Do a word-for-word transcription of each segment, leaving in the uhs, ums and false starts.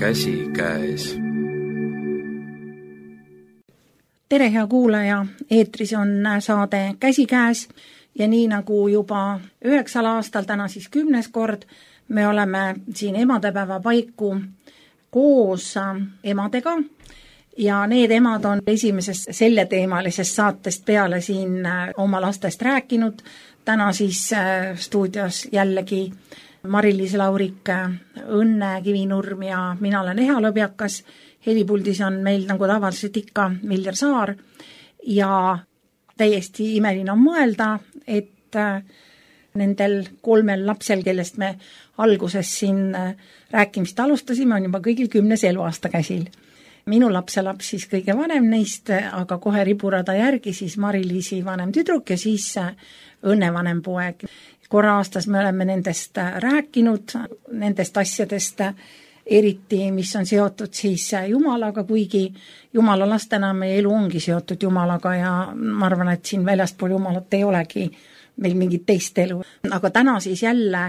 käsikäes. Tere, hea kuulaja! Eetris on saade Käsikäes ja nii nagu juba üheksal aastal, täna siis kümnes kord, me oleme siin emadepäeva paiku koos emadega ja need emad on esimesest selleteemalisest saatest peale siin oma lastest rääkinud. Täna siis stuudios jällegi Mari-Liis Laurik, Õnne Kivinurm ja mina olen Eha Lõbjakas. Helipuldis on meil nagu tavaliselt ikka Viljar Saar ja täiesti imeline on mõelda, et nendel kolmel lapsel, kellest me alguses siin rääkimist alustasime, on juba kõigil kümnes eluaasta käsil. Minu lapselaps siis kõige vanem neist, aga kohe riburada järgi siis Mari-Liisi vanem tüdruk ja siis Õnne vanem poeg. Korra aastas me oleme nendest rääkinud, nendest asjadest, eriti, mis on seotud siis Jumalaga, kuigi Jumala lastena meie elu ongi seotud Jumalaga ja ma arvan, et siin väljaspool Jumalat ei olegi meil mingit teist elu. Aga täna siis jälle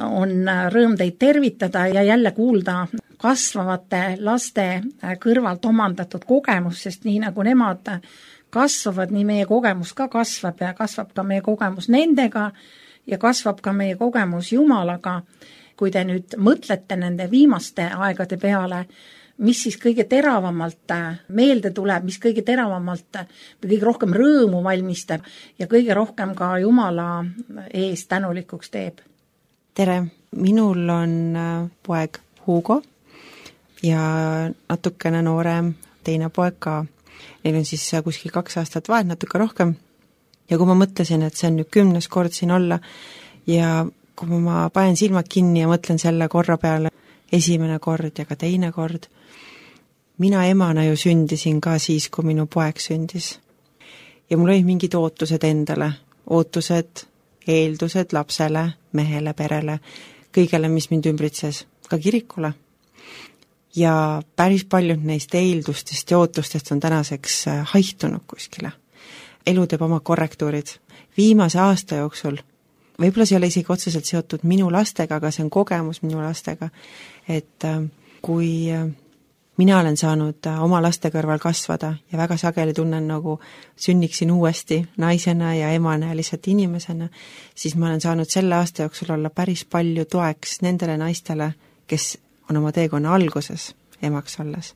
on rõõm teid tervitada ja jälle kuulda kasvavate laste kõrvalt omandatud kogemus, sest nii nagu nemad kasvavad, nii meie kogemus ka kasvab ja kasvab ka meie kogemus nendega ja kasvab ka meie kogemus Jumalaga. Kui te nüüd mõtlete nende viimaste aegade peale, mis siis kõige teravamalt meelde tuleb, mis kõige teravamalt või kõige rohkem rõõmu valmistab ja kõige rohkem ka Jumala ees tänulikuks teeb? Tere, minul on poeg Hugo ja natukene noorem teine poeg ka. Neil on siis kuskil kaks aastat vahet, natuke rohkem. Ja kui ma mõtlesin, et see on nüüd kümnes kord siin olla ja kui ma panen silmad kinni ja mõtlen selle korra peale, esimene kord ja ka teine kord, mina emana ju sündisin ka siis, kui minu poeg sündis. Ja mul olid mingid ootused endale, ootused, eeldused lapsele, mehele, perele, kõigele, mis mind ümbritses, ka kirikule. Ja päris paljud neist eeldustest ja ootustest on tänaseks haihtunud kuskile. Elu teeb oma korrektuurid. Viimase aasta jooksul võib-olla see ei ole isegi otseselt seotud minu lastega, aga see on kogemus minu lastega, et kui mina olen saanud oma laste kõrval kasvada ja väga sageli tunnen nagu sünniksin uuesti naisena ja emana ja lihtsalt inimesena, siis ma olen saanud selle aasta jooksul olla päris palju toeks nendele naistele, kes on oma teekonna alguses emaks olles.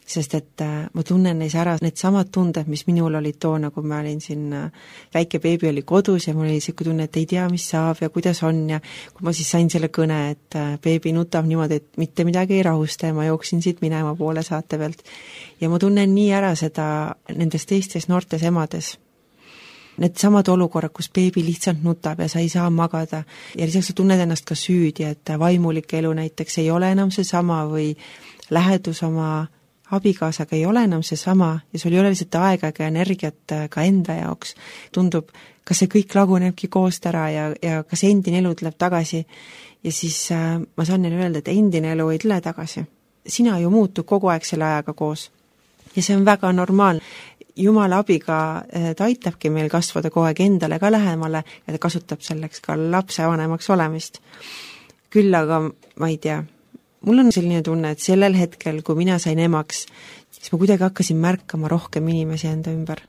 Sest et ma tunnen neis ära need samad tunded, mis minul olid toona, kui ma olin siin, väike beebi oli kodus ja mul oli siuke tunne, et ei tea, mis saab ja kuidas on ja kui ma siis sain selle kõne, et beebi nutab niimoodi, et mitte midagi ei rahusta ja ma jooksin siit minema poole saate pealt. Ja ma tunnen nii ära seda nendes teistes noortes emades. Need samad olukorrad, kus beebi lihtsalt nutab ja sa ei saa magada ja lisaks sa tunned ennast ka süüdi, et vaimulik elu näiteks ei ole enam see sama või lähedus oma abikaasaga ei ole enam see sama ja sul ei ole lihtsalt aega ja energiat ka enda jaoks. Tundub, kas see kõik lagunebki koost ära ja, ja kas endine elu tuleb tagasi. Ja siis äh, ma saan neile öelda, et endine elu ei tule tagasi. Sina ju muutud kogu aeg selle ajaga koos. Ja see on väga normaalne. Jumala abiga ta aitabki meil kasvada kogu aeg endale ka lähemale ja ta kasutab selleks ka lapse vanemaks olemist. Küll aga ma ei tea, mul on selline tunne, et sellel hetkel, kui mina sain emaks, siis ma kuidagi hakkasin märkama rohkem inimesi enda ümber.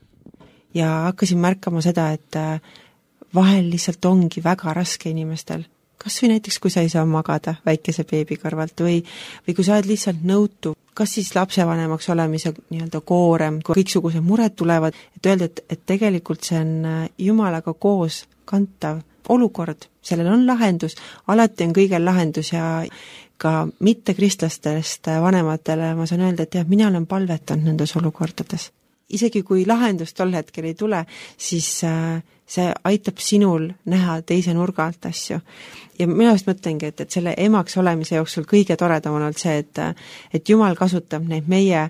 Ja hakkasin märkama seda, et vahel lihtsalt ongi väga raske inimestel. Kas või näiteks, kui sa ei saa magada väikese beebi kõrvalt või, või kui sa oled lihtsalt nõutu, kas siis lapsevanemaks olemise nii-öelda koorem, kui kõiksugused mured tulevad, et öelda, et, et tegelikult see on Jumalaga koos kantav olukord, sellel on lahendus, alati on kõigel lahendus ja ka mitte kristlastest vanematele ma saan öelda, et jah, mina olen palvetanud nendes olukordades. Isegi kui lahendus tol hetkel ei tule, siis see aitab sinul näha teise nurga alt asju. Ja mina just mõtlengi, et, et selle emaks olemise jooksul kõige toredam on olnud see, et, et Jumal kasutab neid meie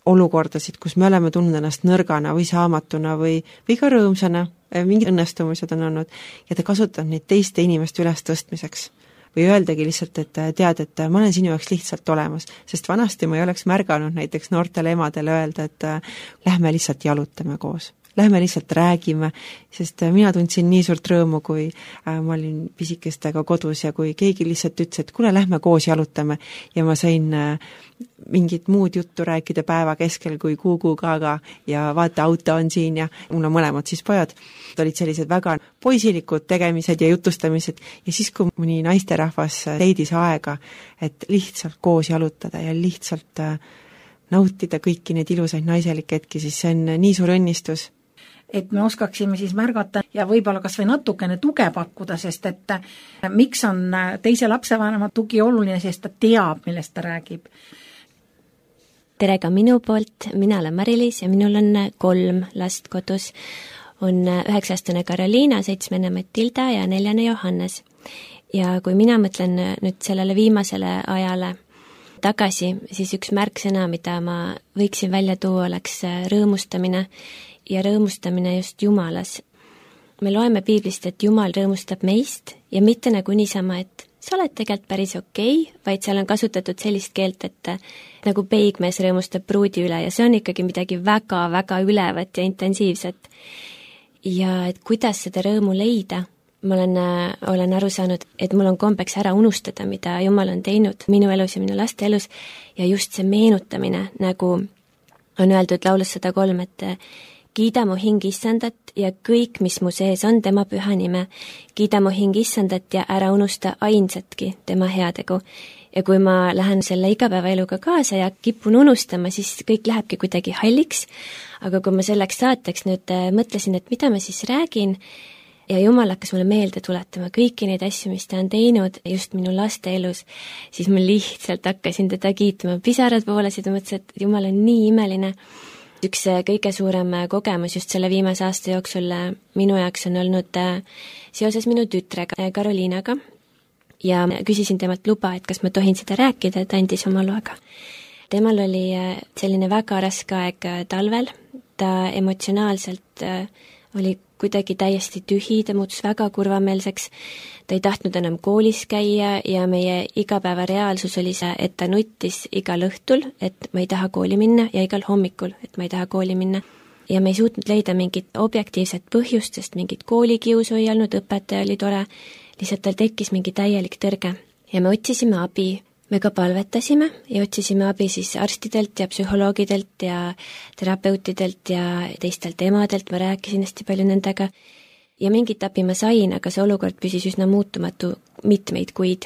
olukordasid, kus me oleme tundnud ennast nõrgana või saamatuna või, või ka rõõmsana, mingid õnnestumised on olnud ja ta kasutab neid teiste inimeste üles tõstmiseks. Või öeldagi lihtsalt, et tead, et ma olen sinu jaoks lihtsalt olemas, sest vanasti ma ei oleks märganud näiteks noortele emadele öelda, et lähme lihtsalt jalutame koos. lähme lihtsalt räägime, sest mina tundsin nii suurt rõõmu, kui äh, ma olin pisikestega kodus ja kui keegi lihtsalt ütles, et kuule, lähme koos jalutame ja ma sain äh, mingit muud juttu rääkida päeva keskel kui Kuku Gaga ja vaata, auto on siin ja mul on mõlemad siis pojad. Olid sellised väga poisilikud tegemised ja jutustamised ja siis, kui mõni naisterahvas leidis aega, et lihtsalt koos jalutada ja lihtsalt äh, nautida kõiki neid ilusaid naiselikke hetki, siis see on nii suur õnnistus. Et me oskaksime siis märgata ja võib-olla kas või natukene tuge pakkuda, sest et miks on teise lapsevanema tugi oluline, sest ta teab, millest ta räägib. Tere ka minu poolt, mina olen Mari-Liis ja minul on kolm last kodus. On üheksa-aastane Karoliina, seitsmene Matilda ja neljane Johannes. Ja kui mina mõtlen nüüd sellele viimasele ajale tagasi, siis üks märksõna, mida ma võiksin välja tuua, oleks rõõmustamine ja rõõmustamine just Jumalas. Me loeme piiblist, et Jumal rõõmustab meist ja mitte nagu niisama, et sa oled tegelikult päris okei, vaid seal on kasutatud sellist keelt, et nagu peigmees rõõmustab pruudi üle ja see on ikkagi midagi väga-väga ülevat ja intensiivset. Ja et kuidas seda rõõmu leida, ma olen, olen aru saanud, et mul on kombeks ära unustada, mida Jumal on teinud minu elus ja minu laste elus ja just see meenutamine, nagu on öeldud laulus sada kolm, et kiida mu hing issandat ja kõik, mis mu sees on tema püha nime. Kiida mu hing issandat ja ära unusta ainsatki tema heategu. Ja kui ma lähen selle igapäevaeluga kaasa ja kipun unustama, siis kõik lähebki kuidagi halliks. Aga kui ma selleks saateks nüüd mõtlesin, et mida ma siis räägin, ja Jumal hakkas mulle meelde tuletama kõiki neid asju, mis ta on teinud just minu laste elus, siis ma lihtsalt hakkasin teda kiitma. Pisarad voolasid ja mõtlesin, et Jumal on nii imeline. Üks kõige suurem kogemus just selle viimase aasta jooksul minu jaoks on olnud seoses minu tütrega Karoliinaga ja küsisin temalt luba, et kas ma tohin seda rääkida, ta andis oma loaga. Temal oli selline väga raske aeg talvel, ta emotsionaalselt oli kuidagi täiesti tühi, ta muutus väga kurvameelseks, ta ei tahtnud enam koolis käia ja meie igapäeva reaalsus oli see, et ta nuttis igal õhtul, et ma ei taha kooli minna ja igal hommikul, et ma ei taha kooli minna. Ja me ei suutnud leida mingit objektiivset põhjust, sest mingit koolikiusu ei olnud, õpetaja oli tore, lihtsalt tal tekkis mingi täielik tõrge ja me otsisime abi. Me ka palvetasime ja otsisime abi siis arstidelt ja psühholoogidelt ja terapeutidelt ja teistelt emadelt, ma rääkisin hästi palju nendega ja mingit abi ma sain, aga see olukord püsis üsna muutumatu mitmeid kuid.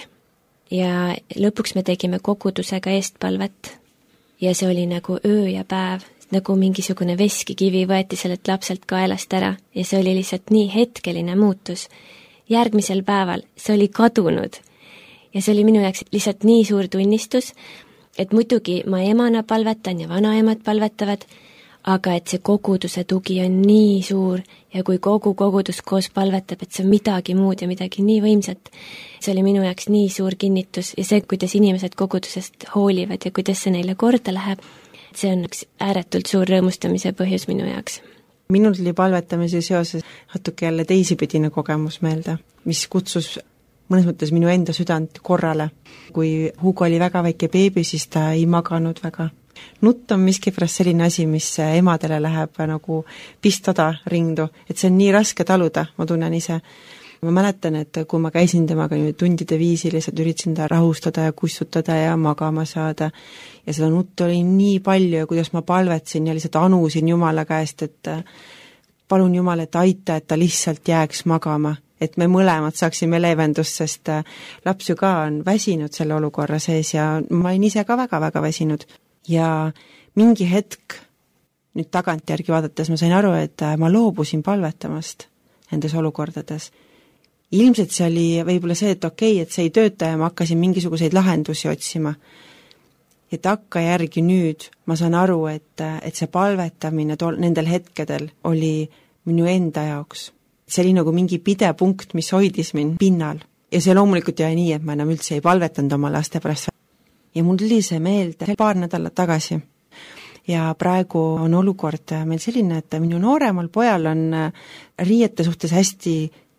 Ja lõpuks me tegime kogudusega eestpalvet ja see oli nagu öö ja päev, nagu mingisugune veskikivi võeti sellelt lapselt kaelast ära ja see oli lihtsalt nii hetkeline muutus. Järgmisel päeval see oli kadunud. Ja see oli minu jaoks lihtsalt nii suur tunnistus, et muidugi ma emana palvetan ja vanaemad palvetavad, aga et see koguduse tugi on nii suur ja kui kogu kogudus koos palvetab, et see on midagi muud ja midagi nii võimsat. See oli minu jaoks nii suur kinnitus ja see, kuidas inimesed kogudusest hoolivad ja kuidas see neile korda läheb, see on üks ääretult suur rõõmustamise põhjus minu jaoks. Minul tuli palvetamise seoses natuke jälle teisipidine kogemus meelde, mis kutsus mõnes mõttes minu enda südant korrale. Kui Hugo oli väga väike beebi, siis ta ei maganud väga. Nutt on miskipärast selline asi, mis emadele läheb nagu pistada rindu, et see on nii raske taluda, ma tunnen ise. Ma mäletan, et kui ma käisin temaga tundide viisi, lihtsalt üritasin ta rahustada ja kustutada ja magama saada ja seda nuttu oli nii palju ja kuidas ma palvetsin ja lihtsalt anusin Jumala käest, et palun Jumal, et aita, et ta lihtsalt jääks magama, et me mõlemad saaksime leevendust, sest laps ju ka on väsinud selle olukorra sees ja ma olin ise ka väga-väga väsinud. Ja mingi hetk, nüüd tagantjärgi vaadates, ma sain aru, et ma loobusin palvetamast nendes olukordades. Ilmselt see oli võib-olla see, et okei, et see ei tööta ja ma hakkasin mingisuguseid lahendusi otsima. Ja takka järgi nüüd ma saan aru, et, et see palvetamine tol, nendel hetkedel oli minu enda jaoks. See oli nagu mingi pidepunkt, mis hoidis mind pinnal. Ja see loomulikult jäi nii, et ma enam üldse ei palvetanud oma laste pärast. Ja mul tuli see meelde paar nädalat tagasi. Ja praegu on olukord meil selline, et minu nooremal pojal on riiete suhtes hästi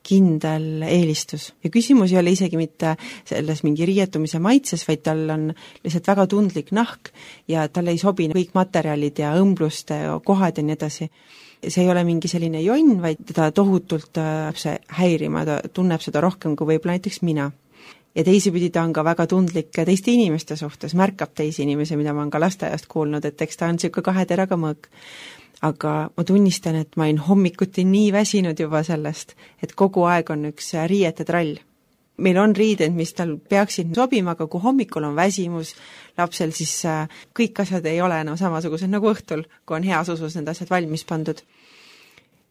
kindel eelistus. Ja küsimus ei ole isegi mitte selles mingi riietumise maitses, vaid tal on lihtsalt väga tundlik nahk ja tal ei sobi kõik materjalid ja õmbluste kohad ja nii edasi. see ei ole mingi selline jonn, vaid teda tohutult see häirima, ta tunneb seda rohkem kui võib-olla näiteks mina. Ja teisipidi ta on ka väga tundlik teiste inimeste suhtes, märkab teisi inimesi, mida ma olen ka lasteaiast kuulnud, et eks ta on niisugune kahe teraga mõõk. Aga ma tunnistan, et ma olin hommikuti nii väsinud juba sellest, et kogu aeg on üks riiete trall. Meil on riided, mis tal peaksid sobima, aga kui hommikul on väsimus lapsel, siis kõik asjad ei ole enam samasugused nagu õhtul, kui on heas usus need asjad valmis pandud.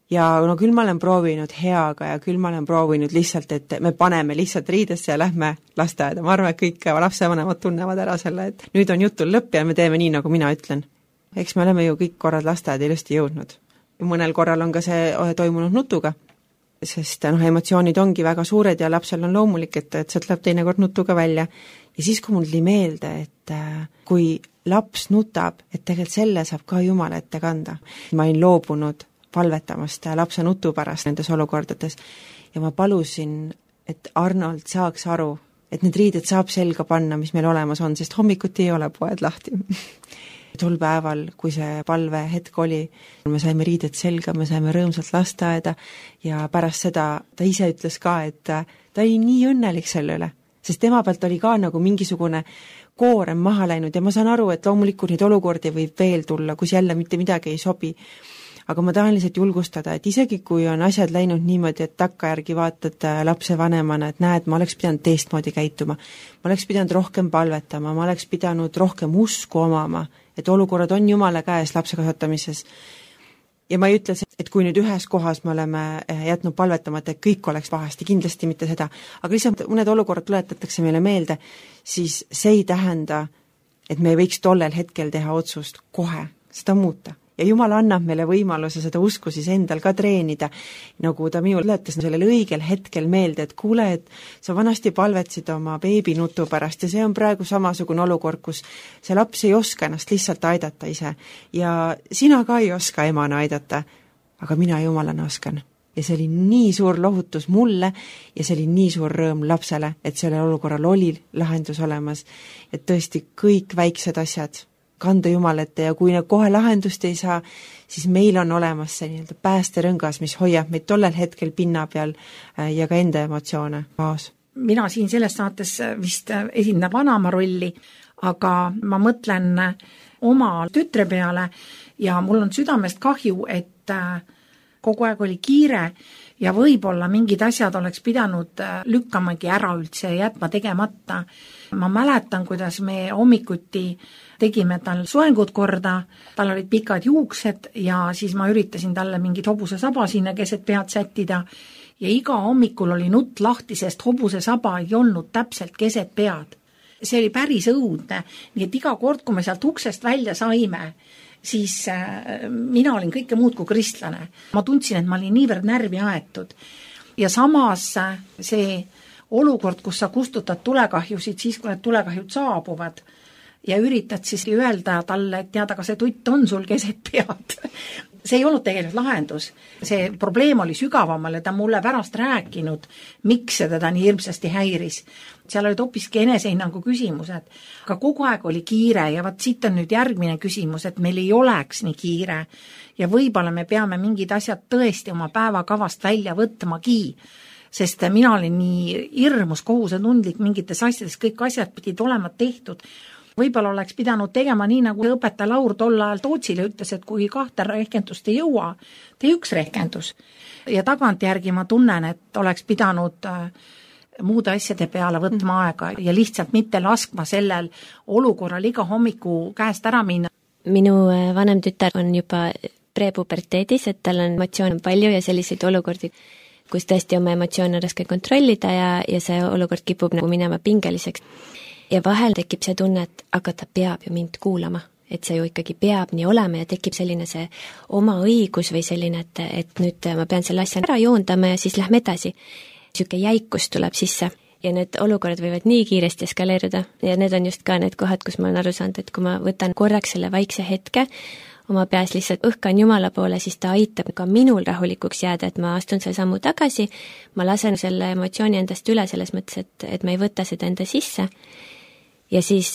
Ja no küll ma olen proovinud heaga ja küll ma olen proovinud lihtsalt, et me paneme lihtsalt riidesse ja lähme lasteaeda. Ma arvan, et kõik lapsevanemad tunnevad ära selle, et nüüd on jutul lõpp ja me teeme nii, nagu mina ütlen. Eks me oleme ju kõik korrad lasteaeda ilusti jõudnud. Mõnel korral on ka see toimunud nutuga, sest noh, emotsioonid ongi väga suured ja lapsel on loomulik, et, et see tuleb teinekord nutuga välja. Ja siis, kui mul tuli meelde, et kui laps nutab, et tegelikult selle saab ka Jumal ette kanda. Ma olin loobunud palvetamast lapse nutu pärast nendes olukordades ja ma palusin, et Arnold saaks aru, et need riided saab selga panna, mis meil olemas on, sest hommikuti ei ole poed lahti. Tol päeval, kui see palve hetk oli, me saime riided selga, me saime rõõmsalt lasteaeda ja pärast seda ta ise ütles ka, et ta oli nii õnnelik selle üle, sest tema pealt oli ka nagu mingisugune koorem maha läinud ja ma saan aru, et loomulikult neid olukordi võib veel tulla, kus jälle mitte midagi ei sobi. Aga ma tahan lihtsalt julgustada, et isegi kui on asjad läinud niimoodi, et takkajärgi vaatad lapse vanemana, et näed, ma oleks pidanud teistmoodi käituma, ma oleks pidanud rohkem palvetama, ma oleks pidanud rohkem usku omama, et olukorrad on Jumala käes lapse kasvatamises. Ja ma ei ütle, et kui nüüd ühes kohas me oleme jätnud palvetamata, et kõik oleks pahasti, kindlasti mitte seda, aga lihtsalt mõned olukorrad tuletatakse meile meelde, siis see ei tähenda, et me ei võiks tollel hetkel teha otsust kohe seda muuta. Ja Jumal annab meile võimaluse seda usku siis endal ka treenida, nagu ta minu tuletas sellel õigel hetkel meelde, et kuule, et sa vanasti palvetsid oma beebinutu pärast ja see on praegu samasugune olukord, kus see laps ei oska ennast lihtsalt aidata ise ja sina ka ei oska emana aidata, aga mina Jumalana oskan. Ja see oli nii suur lohutus mulle ja see oli nii suur rõõm lapsele, et selle olukorral oli lahendus olemas, et tõesti kõik väiksed asjad kanda Jumalette ja kui kohe lahendust ei saa, siis meil on olemas see nii-öelda päästerõngas, mis hoiab meid tollel hetkel pinna peal ja ka enda emotsioone maas. Mina siin selles saates vist esindan vanama rolli, aga ma mõtlen oma tütre peale ja mul on südamest kahju, et kogu aeg oli kiire ja võib-olla mingid asjad oleks pidanud lükkamagi ära üldse ja jätma tegemata. Ma mäletan, kuidas me hommikuti tegime tal soengud korda, tal olid pikad juuksed ja siis ma üritasin talle mingit hobuse saba sinna keset pead sättida ja iga hommikul oli nutt lahti, sest hobuse saba ei olnud täpselt keset pead. See oli päris õudne, nii et iga kord, kui me sealt uksest välja saime, siis mina olin kõike muud kui kristlane. Ma tundsin, et ma olin niivõrd närvi aetud ja samas see olukord, kus sa kustutad tulekahjusid siis, kui need tulekahjud saabuvad ja üritad siis öelda talle, et teada, ka see tutt on sul keset pead. See ei olnud tegelikult lahendus. See probleem oli sügavamal ja ta mulle pärast rääkinud, miks see teda nii hirmsasti häiris. Seal olid hoopiski enesehinnangu küsimused, aga kogu aeg oli kiire ja vaat siit on nüüd järgmine küsimus, et meil ei oleks nii kiire ja võib-olla me peame mingid asjad tõesti oma päevakavast välja võtmagi, sest mina olin nii hirmus kohusetundlik mingites asjades, kõik asjad pidid olema tehtud. Võib-olla oleks pidanud tegema nii, nagu õpetaja Laur tol ajal Tootsile ütles, et kui kahte rehkendust ei jõua, tee üks rehkendus. Ja tagantjärgi ma tunnen, et oleks pidanud muude asjade peale võtma aega ja lihtsalt mitte laskma sellel olukorral iga hommiku käest ära minna. Minu vanem tütar on juba prepuberteedis, et tal on emotsioone palju ja selliseid olukordi, kus tõesti oma emotsioone raske kontrollida ja, ja see olukord kipub nagu minema pingeliseks. Ja vahel tekib see tunne, et aga ta peab ju mind kuulama, et see ju ikkagi peab nii olema ja tekib selline see oma õigus või selline, et, et nüüd ma pean selle asja ära joondama ja siis lähme edasi. Siuke jäikus tuleb sisse ja need olukorrad võivad nii kiiresti eskaleeruda ja need on just ka need kohad, kus ma olen aru saanud, et kui ma võtan korraks selle vaikse hetke, oma peas lihtsalt õhkan Jumala poole, siis ta aitab ka minul rahulikuks jääda, et ma astun selle sammu tagasi, ma lasen selle emotsiooni endast üle selles mõttes, et, et ma ei võta seda enda sisse. ja siis,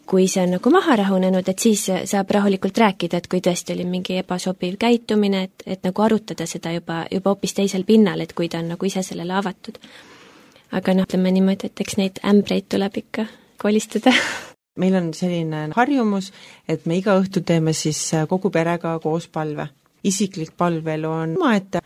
kui see on nagu maha rahunenud, et siis saab rahulikult rääkida, et kui tõesti oli mingi ebasobiv käitumine, et, et nagu arutada seda juba, juba hoopis teisel pinnal, et kui ta on nagu ise sellele avatud. Aga noh, ütleme niimoodi, et eks neid ämbreid tuleb ikka kolistada. Meil on selline harjumus, et me iga õhtu teeme siis kogu perega koos palve. Isiklik palvel on omaette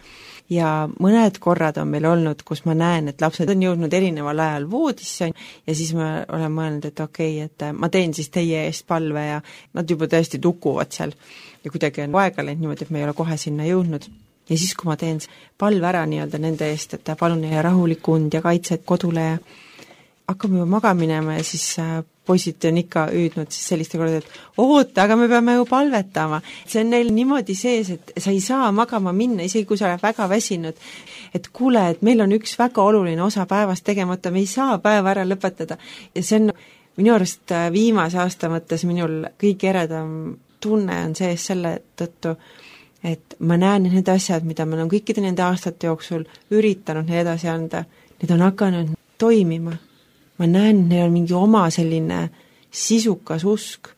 ja mõned korrad on meil olnud, kus ma näen, et lapsed on jõudnud erineval ajal voodisse ja siis ma olen mõelnud, et okei, okay, et ma teen siis teie eest palve ja nad juba tõesti tukuvad seal ja kuidagi on aega läinud niimoodi, et me ei ole kohe sinna jõudnud. Ja siis, kui ma teen palve ära nii-öelda nende eest, et palun neile rahulikku und ja kaitset kodule ja hakkame juba magama minema ja siis poisid on ikka üüdnud siis selliste korda, et oota, aga me peame ju palvetama. See on neil niimoodi sees, et sa ei saa magama minna, isegi kui sa oled väga väsinud. Et kuule, et meil on üks väga oluline osa päevast tegemata, me ei saa päeva ära lõpetada. Ja see on minu arust viimase aasta mõttes minul kõige eredam tunne on sees selle tõttu, et ma näen need asjad, mida ma olen kõikide nende aastate jooksul üritanud neile edasi anda, need on hakanud toimima. Ma näen, et neil on mingi oma selline sisukas usk.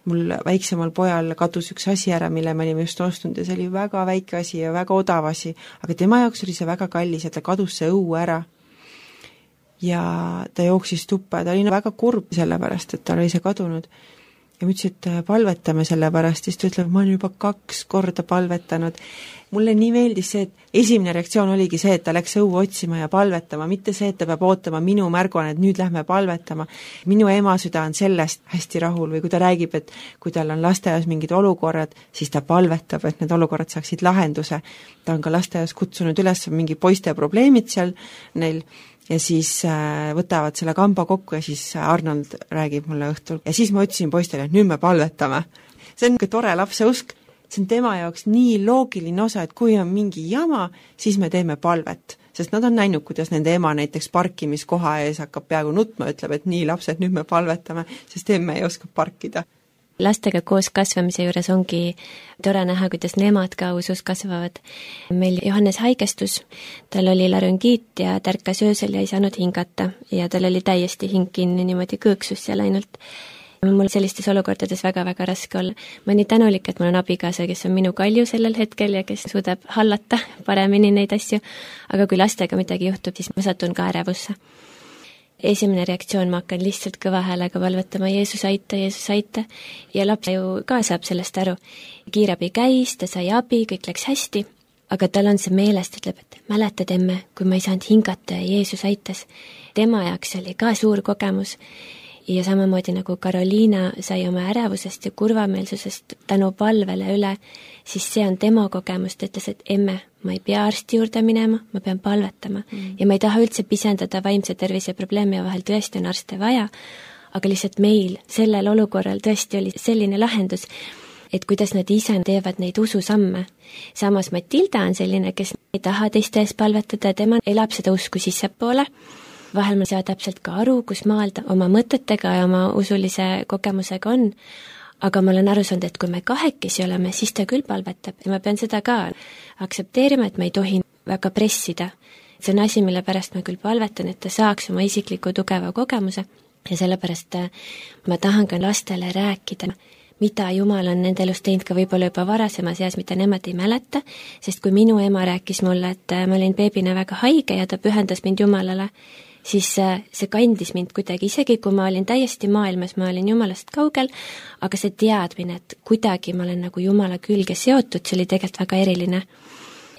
Mul väiksemal pojal kadus üks asi ära, mille me olime just ostnud ja see oli väga väike asi ja väga odav asi, aga tema jaoks oli see väga kallis ja ta kadus see õue ära. Ja ta jooksis tuppa ja ta oli väga kurb sellepärast, et ta oli see kadunud. Ja ma ütlesin, et palvetame selle pärast, siis ta ütleb, ma olen juba kaks korda palvetanud. Mulle nii meeldis see, et esimene reaktsioon oligi see, et ta läks õue otsima ja palvetama, mitte see, et ta peab ootama minu märguan, et nüüd lähme palvetama. Minu ema süda on sellest hästi rahul või kui ta räägib, et kui tal on lasteaias mingid olukorrad, siis ta palvetab, et need olukorrad saaksid lahenduse. Ta on ka lasteaias kutsunud üles mingi poiste probleemid seal neil ja siis äh, võtavad selle kamba kokku ja siis Arnold räägib mulle õhtul. Ja siis ma ütlesin poistele, et nüüd me palvetame. See on tore lapse usk, see on tema jaoks nii loogiline osa, et kui on mingi jama, siis me teeme palvet. Sest nad on näinud, kuidas nende ema näiteks parkimiskoha ees hakkab peaaegu nutma, ütleb, et nii lapsed, nüüd me palvetame, sest emme ei oska parkida. Lastega koos kasvamise juures ongi tore näha, kuidas nemad ka usus kasvavad. Meil Johannes haigestus, tal oli larüngiit ja tärkas öösel ja ei saanud hingata ja tal oli täiesti hing kinni niimoodi kõõksus seal ainult. Mul sellistes olukordades väga-väga raske olla. Ma olen nii tänulik, et mul on abikaasa, kes on minu kalju sellel hetkel ja kes suudab hallata paremini neid asju, aga kui lastega midagi juhtub, siis ma satun ka ärevusse. Esimene reaktsioon, ma hakkan lihtsalt kõva häälega palvetama, Jeesus aita, Jeesus aita ja laps ju ka saab sellest aru. Kiirabi käis, ta sai abi, kõik läks hästi, aga tal on see meelest, ütleb, et mäletad emme, kui ma ei saanud hingata ja Jeesus aitas. Tema jaoks oli ka suur kogemus ja samamoodi nagu Karoliina sai oma ärevusest ja kurvameelsusest tänu palvele üle, siis see on tema kogemus, ta ütles, et emme, ma ei pea arsti juurde minema, ma pean palvetama mm. ja ma ei taha üldse pisendada vaimse tervise probleemi ja vahel tõesti on arste vaja, aga lihtsalt meil sellel olukorral tõesti oli selline lahendus, et kuidas nad ise teevad neid ususamme. Samas Matilda on selline, kes ei taha teiste ees palvetada, tema elab seda usku sissepoole, vahel ma ei saa täpselt ka aru, kus maal ta oma mõtetega ja oma usulise kogemusega on, aga ma olen aru saanud, et kui me kahekesi oleme, siis ta küll palvetab ja ma pean seda ka aktsepteerima, et ma ei tohi väga pressida. See on asi, mille pärast ma küll palvetan, et ta saaks oma isikliku tugeva kogemuse ja sellepärast ma tahan ka lastele rääkida, mida Jumal on nende elus teinud ka võib-olla juba varasemas eas, mida nemad ei mäleta, sest kui minu ema rääkis mulle, et ma olin beebina väga haige ja ta pühendas mind Jumalale, siis see kandis mind kuidagi, isegi kui ma olin täiesti maailmas, ma olin Jumalast kaugel, aga see teadmine, et kuidagi ma olen nagu Jumala külge seotud, see oli tegelikult väga eriline.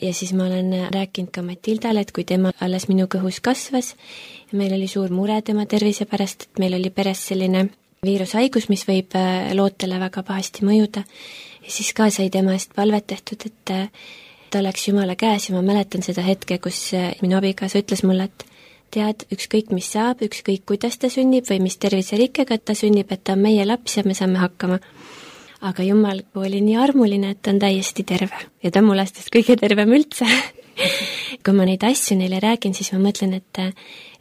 Ja siis ma olen rääkinud ka Matildale, et kui tema alles minu kõhus kasvas, ja meil oli suur mure tema tervise pärast, et meil oli peres selline viirushaigus, mis võib lootele väga pahasti mõjuda. Ja siis ka sai tema eest palvet tehtud, et ta oleks Jumala käes ja ma mäletan seda hetke, kus minu abikaasa ütles mulle, et tead, ükskõik mis saab, ükskõik kuidas ta sünnib või mis terviserikkega ta sünnib, et ta on meie laps ja me saame hakkama. Aga Jumal oli nii armuline, et ta on täiesti terve ja ta on mu lastest kõige tervem üldse. Kui ma neid asju neile räägin, siis ma mõtlen, et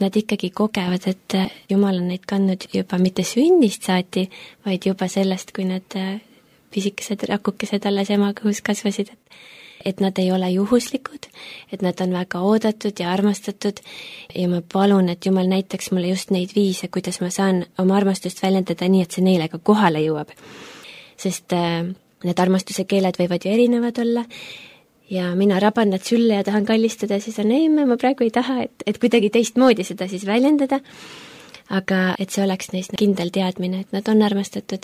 nad ikkagi kogevad, et Jumal on neid kandnud juba mitte sünnist saati, vaid juba sellest, kui nad pisikesed rakukesed alles ema kõhus kasvasid. et nad ei ole juhuslikud, et nad on väga oodatud ja armastatud ja ma palun, et Jumal näitaks mulle just neid viise, kuidas ma saan oma armastust väljendada nii, et see neile ka kohale jõuab. Sest äh, need armastuse keeled võivad ju erinevad olla ja mina raban nad sülle ja tahan kallistada, siis on ei, ma praegu ei taha, et, et kuidagi teistmoodi seda siis väljendada, aga et see oleks neist kindel teadmine, et nad on armastatud.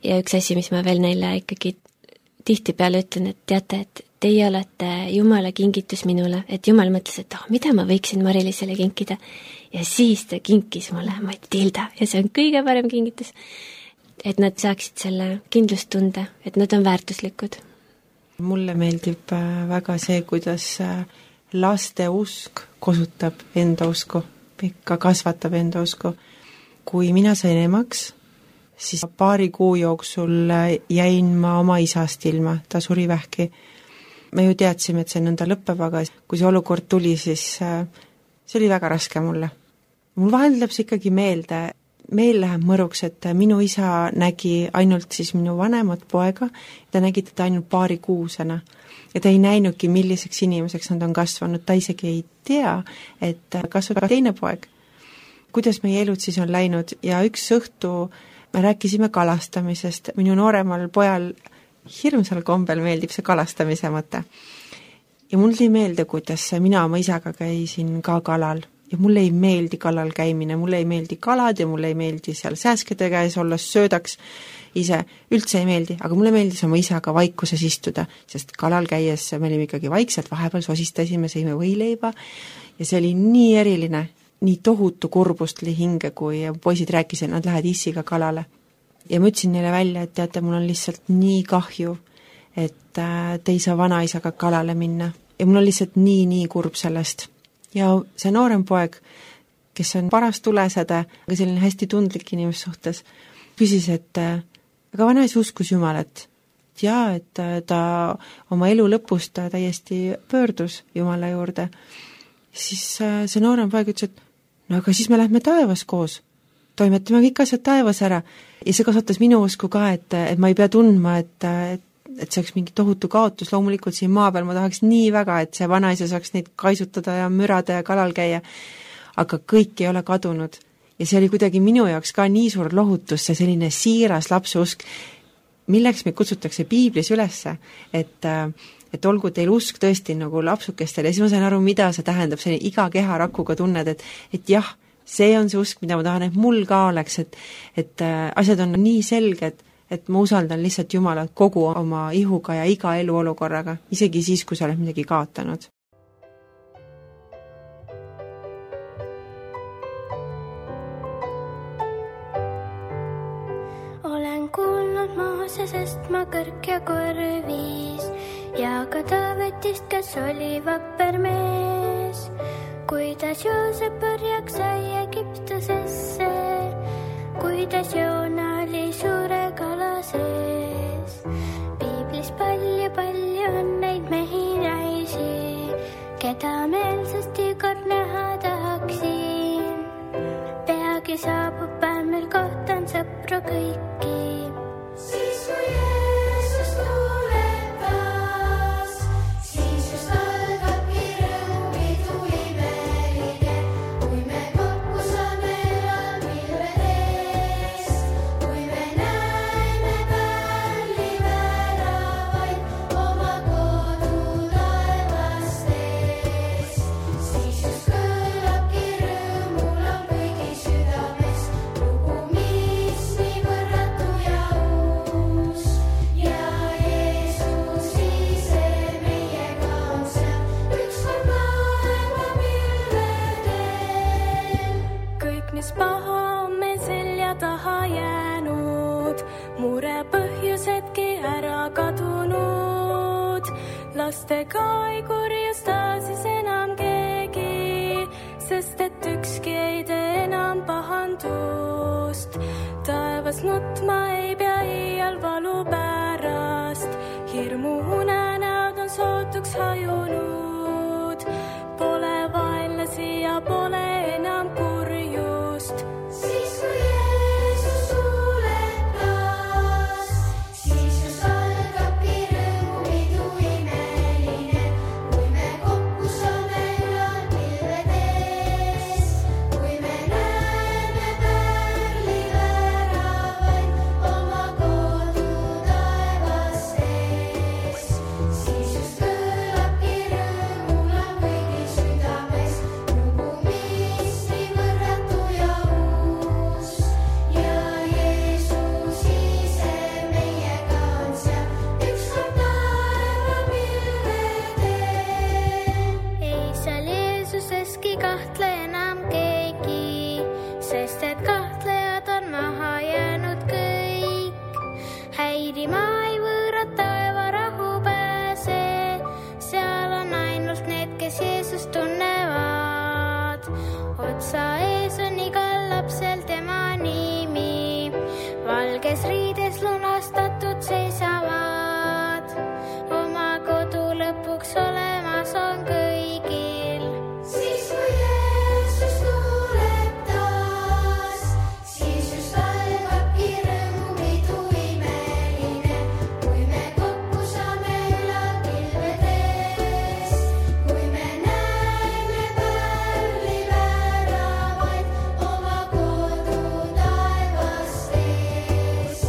Ja üks asi, mis ma veel neile ikkagi tihtipeale ütlen, et teate, et teie olete Jumala kingitus minule, et Jumal mõtles, et oh, mida ma võiksin Mari-Liisele kinkida. Ja siis ta kinkis mulle Matilda ja see on kõige parem kingitus. Et nad saaksid selle kindlustunde, et nad on väärtuslikud. Mulle meeldib väga see, kuidas laste usk kosutab enda usku, ikka kasvatab enda usku. Kui mina sain emaks, siis paari kuu jooksul jäin ma oma isast ilma, ta suri vähki. Me ju teadsime, et see nõnda lõpeb, aga kui see olukord tuli, siis see oli väga raske mulle. Mul vahel läheb see ikkagi meelde, meil läheb mõruks, et minu isa nägi ainult siis minu vanemat poega, ta nägi teda ainult paari kuusena ja ta ei näinudki, milliseks inimeseks nad on kasvanud, ta isegi ei tea, et kasvab teine poeg. Kuidas meie elud siis on läinud ja üks õhtu me rääkisime kalastamisest, minu nooremal pojal hirmsal kombel meeldib see kalastamise mõte. Ja mul tuli meelde, kuidas mina oma isaga käisin ka kalal ja mulle ei meeldi kalal käimine, mulle ei meeldi kalad ja mulle ei meeldi seal sääskede käes olla, söödaks ise, üldse ei meeldi, aga mulle meeldis oma isaga vaikuses istuda, sest kalal käies me olime ikkagi vaikselt, vahepeal sosistasime, sõime võileiba ja see oli nii eriline, nii tohutu kurbust li hinge, kui poisid rääkisid, nad lähed issiga kalale. Ja ma ütlesin neile välja, et teate, mul on lihtsalt nii kahju, et te ei saa vanaisaga kalale minna. Ja mul on lihtsalt nii, nii kurb sellest. Ja see noorem poeg, kes on paras tulesede, aga selline hästi tundlik inimes suhtes, küsis, et aga vanaisa uskus Jumalat. Ja, et ta oma elu lõpus ta täiesti pöördus Jumala juurde. Siis see noorem poeg ütles, et no aga siis me lähme taevas koos. Toimetame kõik asjad taevas ära. Ja see kasvatas minu usku ka, et, et ma ei pea tundma, et, et, et see oleks mingi tohutu kaotus. Loomulikult siin maa peal ma tahaks nii väga, et see vanaisa saaks neid kaisutada ja mürada ja kalal käia. Aga kõik ei ole kadunud. Ja see oli kuidagi minu jaoks ka nii suur lohutus, see selline siiras lapse usk, milleks me kutsutakse Piiblis ülesse, et, et olgu teil usk tõesti nagu lapsukestel ja siis ma sain aru, mida see tähendab, see iga keha rakuga tunned, et, et jah, see on see usk, mida ma tahan, et mul ka oleks, et, et asjad on nii selged, et ma usaldan lihtsalt Jumalat kogu oma ihuga ja iga eluolukorraga, isegi siis, kui sa oled midagi kaotanud. Olen kuulnud Moosesest ma kõrk ja korvis ja ka Taavetist, kes oli vapper mees. Kuidas Joosep pärjaks sai Egiptusesse, kuidas Joona oli suure kala sees. Piiblis palju, palju on neid mehi naisi, keda meelsasti kord näha tahaksin. Peagi saabub päev, meil kohtan sõpru kõiki. Siis kui Jeesus tuleb taas, siis just algabki rõõmidu imeline, kui me kokku saame jalmilvedes, kui me näeme pärli väravaid oma kodu taevastes. Siis just kõlabki rõõmulaul kõigi südames, lugu, mis nii võrratu ja uus. Ja Jeesus ise meiega on seal, ükskord laeva pilvedel. Kõik, mis paha on meil selja taha jäänud, mure põhjusedki ära kadunud. Lastega ei kurjusta siis enam keegi, sest et ükski ei tee enam pahandust. Taevas nutma ei pea iial valu pärast, hirmu unenäod on sootuks hajunud. Pole vaenlasi ja pole enam kurjust. Siis kui Jeesus tuleb taas, siis just algabki rõõmupidu imeline, sest et kahtlejad on maha jäänud kõik. Häirima ei võõrad taeva rahu pääse, seal on ainult need, kes Jeesust tunnevad. Otsa ees on igal lapsel tema nimi, valges riides lunastatud seisavad. Oma kodu lõpuks olemas on kõigil. Siis kui Jeesus tuleb taas, siis just algabki rõõmupidu imeline, kui me kokku saame ülal pilvedes, kui me näeme pärli väravaid oma kodu taevast ees.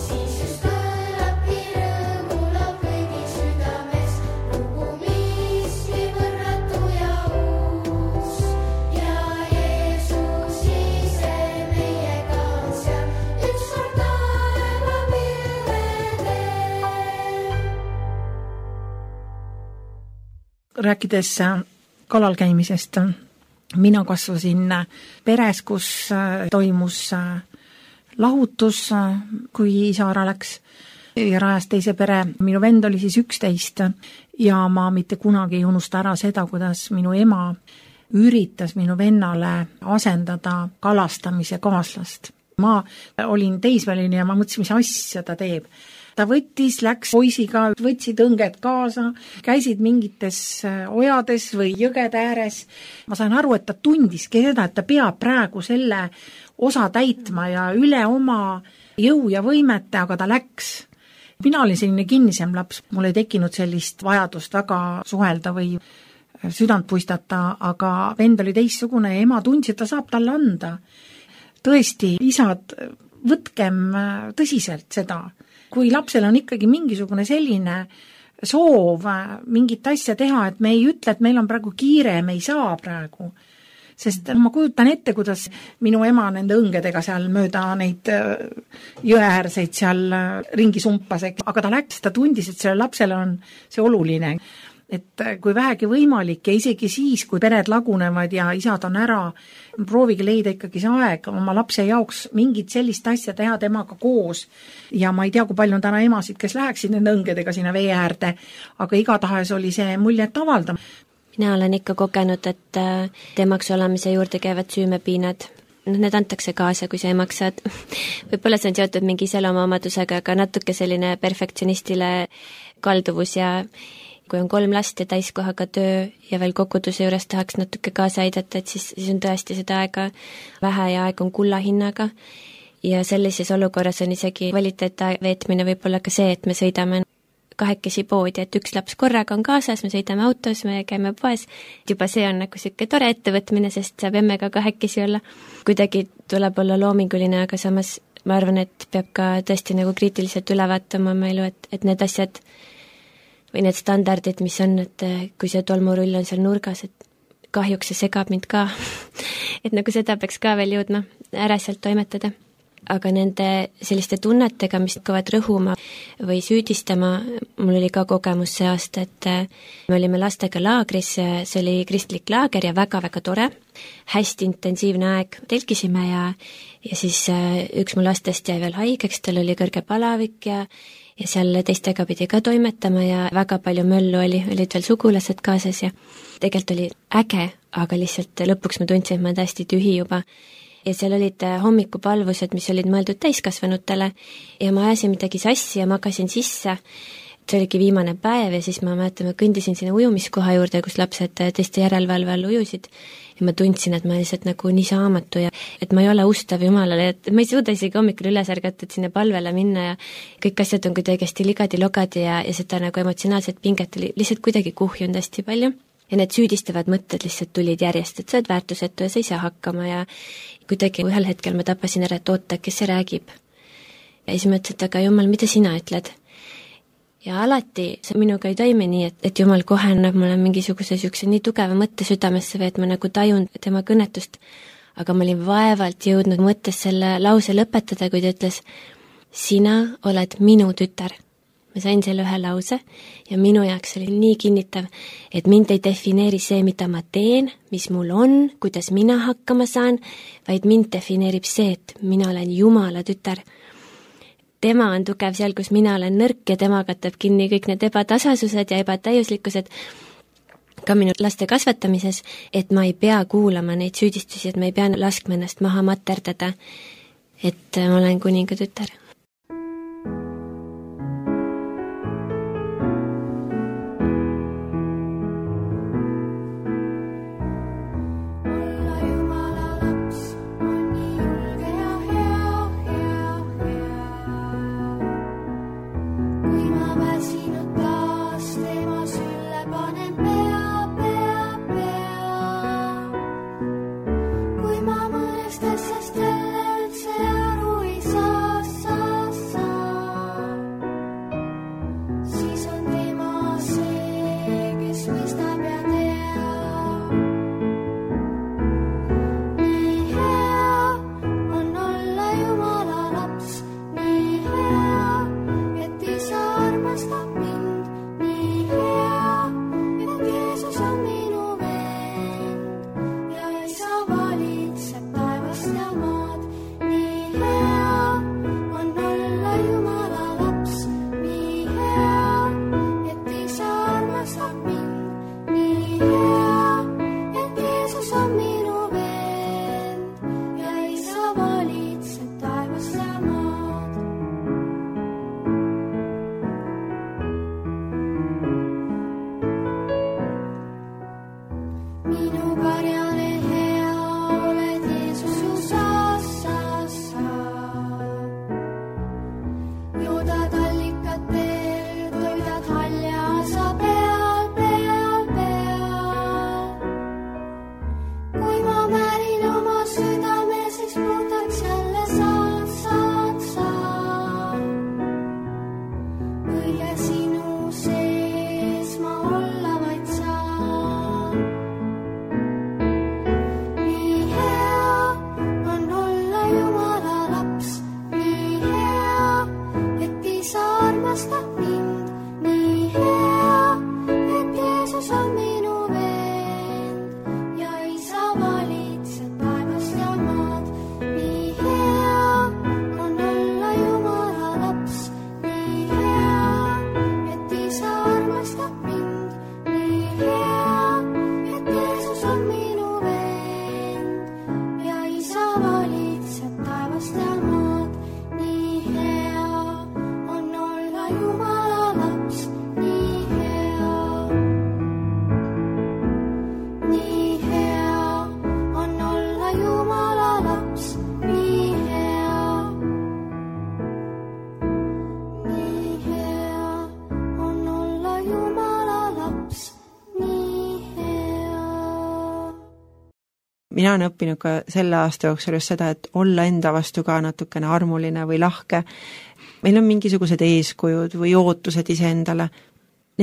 Siis just kõlabki rõõmulaul kõigi südames, lugu, mis nii võrratu ja uus. Ja Jeesus ise meiega on seal, ükskord taeva pilvedel. Rääkides kalal käimisest, mina kasvasin peres, kus toimus lahutus, kui isa ära läks ja rajas teise pere. Minu vend oli siis üksteist ja ma mitte kunagi ei unusta ära seda, kuidas minu ema üritas minu vennale asendada kalastamise kaaslast. Ma olin teisväline ja ma mõtlesin, mis asja ta teeb. Ta võttis, läks poisiga, võtsid õnged kaasa, käisid mingites ojades või jõgede ääres. Ma sain aru, et ta tundiski seda, et ta peab praegu selle osa täitma ja üle oma jõu ja võimete, aga ta läks. Mina olin selline kinnisem laps, mul ei tekkinud sellist vajadust väga suhelda või südant puistata, aga vend oli teissugune ja ema tundis, et ta saab talle anda. Tõesti, isad, võtkem tõsiselt seda. Kui lapsel on ikkagi mingisugune selline soov mingit asja teha, et me ei ütle, et meil on praegu kiire, me ei saa praegu. Sest ma kujutan ette, kuidas minu ema nende õngedega seal mööda neid jõeäärseid seal ringi sumpas, aga ta läks, ta tundis, et selle lapsele on see oluline. Et kui vähegi võimalik ja isegi siis, kui pered lagunevad ja isad on ära, proovige leida ikkagi see aeg oma lapse jaoks mingit sellist asja teha temaga koos. Ja ma ei tea, kui palju on täna emasid, kes läheksid nende õngedega sinna vee äärde, aga igatahes oli see muljet avalda. Mina olen ikka kogenud, et temaks olemise juurde käivad süümepiinad. Need antakse kaasa, kui sa emaks saad. Võib-olla see on seotud mingi iseloomuomadusega, aga natuke selline perfektsionistile kalduvus ja kui on kolm last ja täiskohaga töö ja veel kokuduse juures tahaks natuke kaasa aidata, et siis, siis on tõesti seda aega vähe ja aeg on kulla hinnaga. Ja sellises olukorras on isegi kvaliteetaja veetmine võib-olla ka see, et me sõidame kahekesi poodi, et üks laps korraga on kaasas, me sõidame autos, me käime poes. Juba see on nagu siuke tore ettevõtmine, sest saab emmega kahekesi olla. Kuidagi tuleb olla loominguline, aga samas ma arvan, et peab ka tõesti nagu kriitiliselt üle vaatama oma elu, et, et need asjad või need standardid, mis on, et kui see tolmurull on seal nurgas, et kahjuks see segab mind ka. Et nagu seda peaks ka veel jõudma ära sealt toimetada. Aga nende selliste tunnetega, mis hakkavad rõhuma või süüdistama, mul oli ka kogemus see aasta, et me olime lastega laagris, see oli kristlik laager ja väga-väga tore, hästi intensiivne aeg, telkisime ja, ja siis üks mu lastest jäi veel haigeks, tal oli kõrge palavik ja ja seal teistega pidi ka toimetama ja väga palju möllu oli, olid veel sugulased kaasas ja tegelikult oli äge, aga lihtsalt lõpuks ma tundsin, et ma olen täiesti tühi juba. Ja seal olid hommikupalvused, mis olid mõeldud täiskasvanutele ja ma ajasin midagi sassi ja magasin sisse. See oligi viimane päev ja siis ma mäletan, ma kõndisin sinna ujumiskoha juurde, kus lapsed teiste järelevalve all ujusid ja ma tundsin, et ma lihtsalt nagu nii saamatu ja et ma ei ole ustav Jumalale, et ma ei suuda isegi hommikul üles ärgata, et sinna palvele minna ja kõik asjad on kuidagi hästi ligadi-logadi ja, ja seda nagu emotsionaalset pinget oli lihtsalt kuidagi kuhjunud hästi palju. Ja need süüdistavad mõtted lihtsalt tulid järjest, et sa oled väärtusetu ja sa ei saa hakkama ja kuidagi ühel hetkel ma tapasin ära, et oota, kes see räägib. Ja siis mõtlesin, et aga Jumal, mida sina ütled? Ja alati see minuga ei toimi nii, et, et Jumal kohe annab mulle mingisuguse sükse nii tugeva mõtte südamesse või et ma nagu tajun tema kõnetust. Aga ma olin vaevalt jõudnud mõttes selle lause lõpetada, kui ta ütles, sina oled minu tütar. ma sain selle ühe lause ja minu jaoks oli nii kinnitav, et mind ei defineeri see, mida ma teen, mis mul on, kuidas mina hakkama saan, vaid mind defineerib see, et mina olen Jumala tütar. Tema on tugev seal, kus mina olen nõrk ja tema katab kinni kõik need ebatasasused ja ebatäiuslikkused ka minu laste kasvatamises, et ma ei pea kuulama neid süüdistusi, et ma ei pea laskma ennast maha materdada, et ma olen kuninga tütar. Mina olen õppinud ka selle aasta jooksul just seda, et olla enda vastu ka natukene armuline või lahke. Meil on mingisugused eeskujud või ootused iseendale.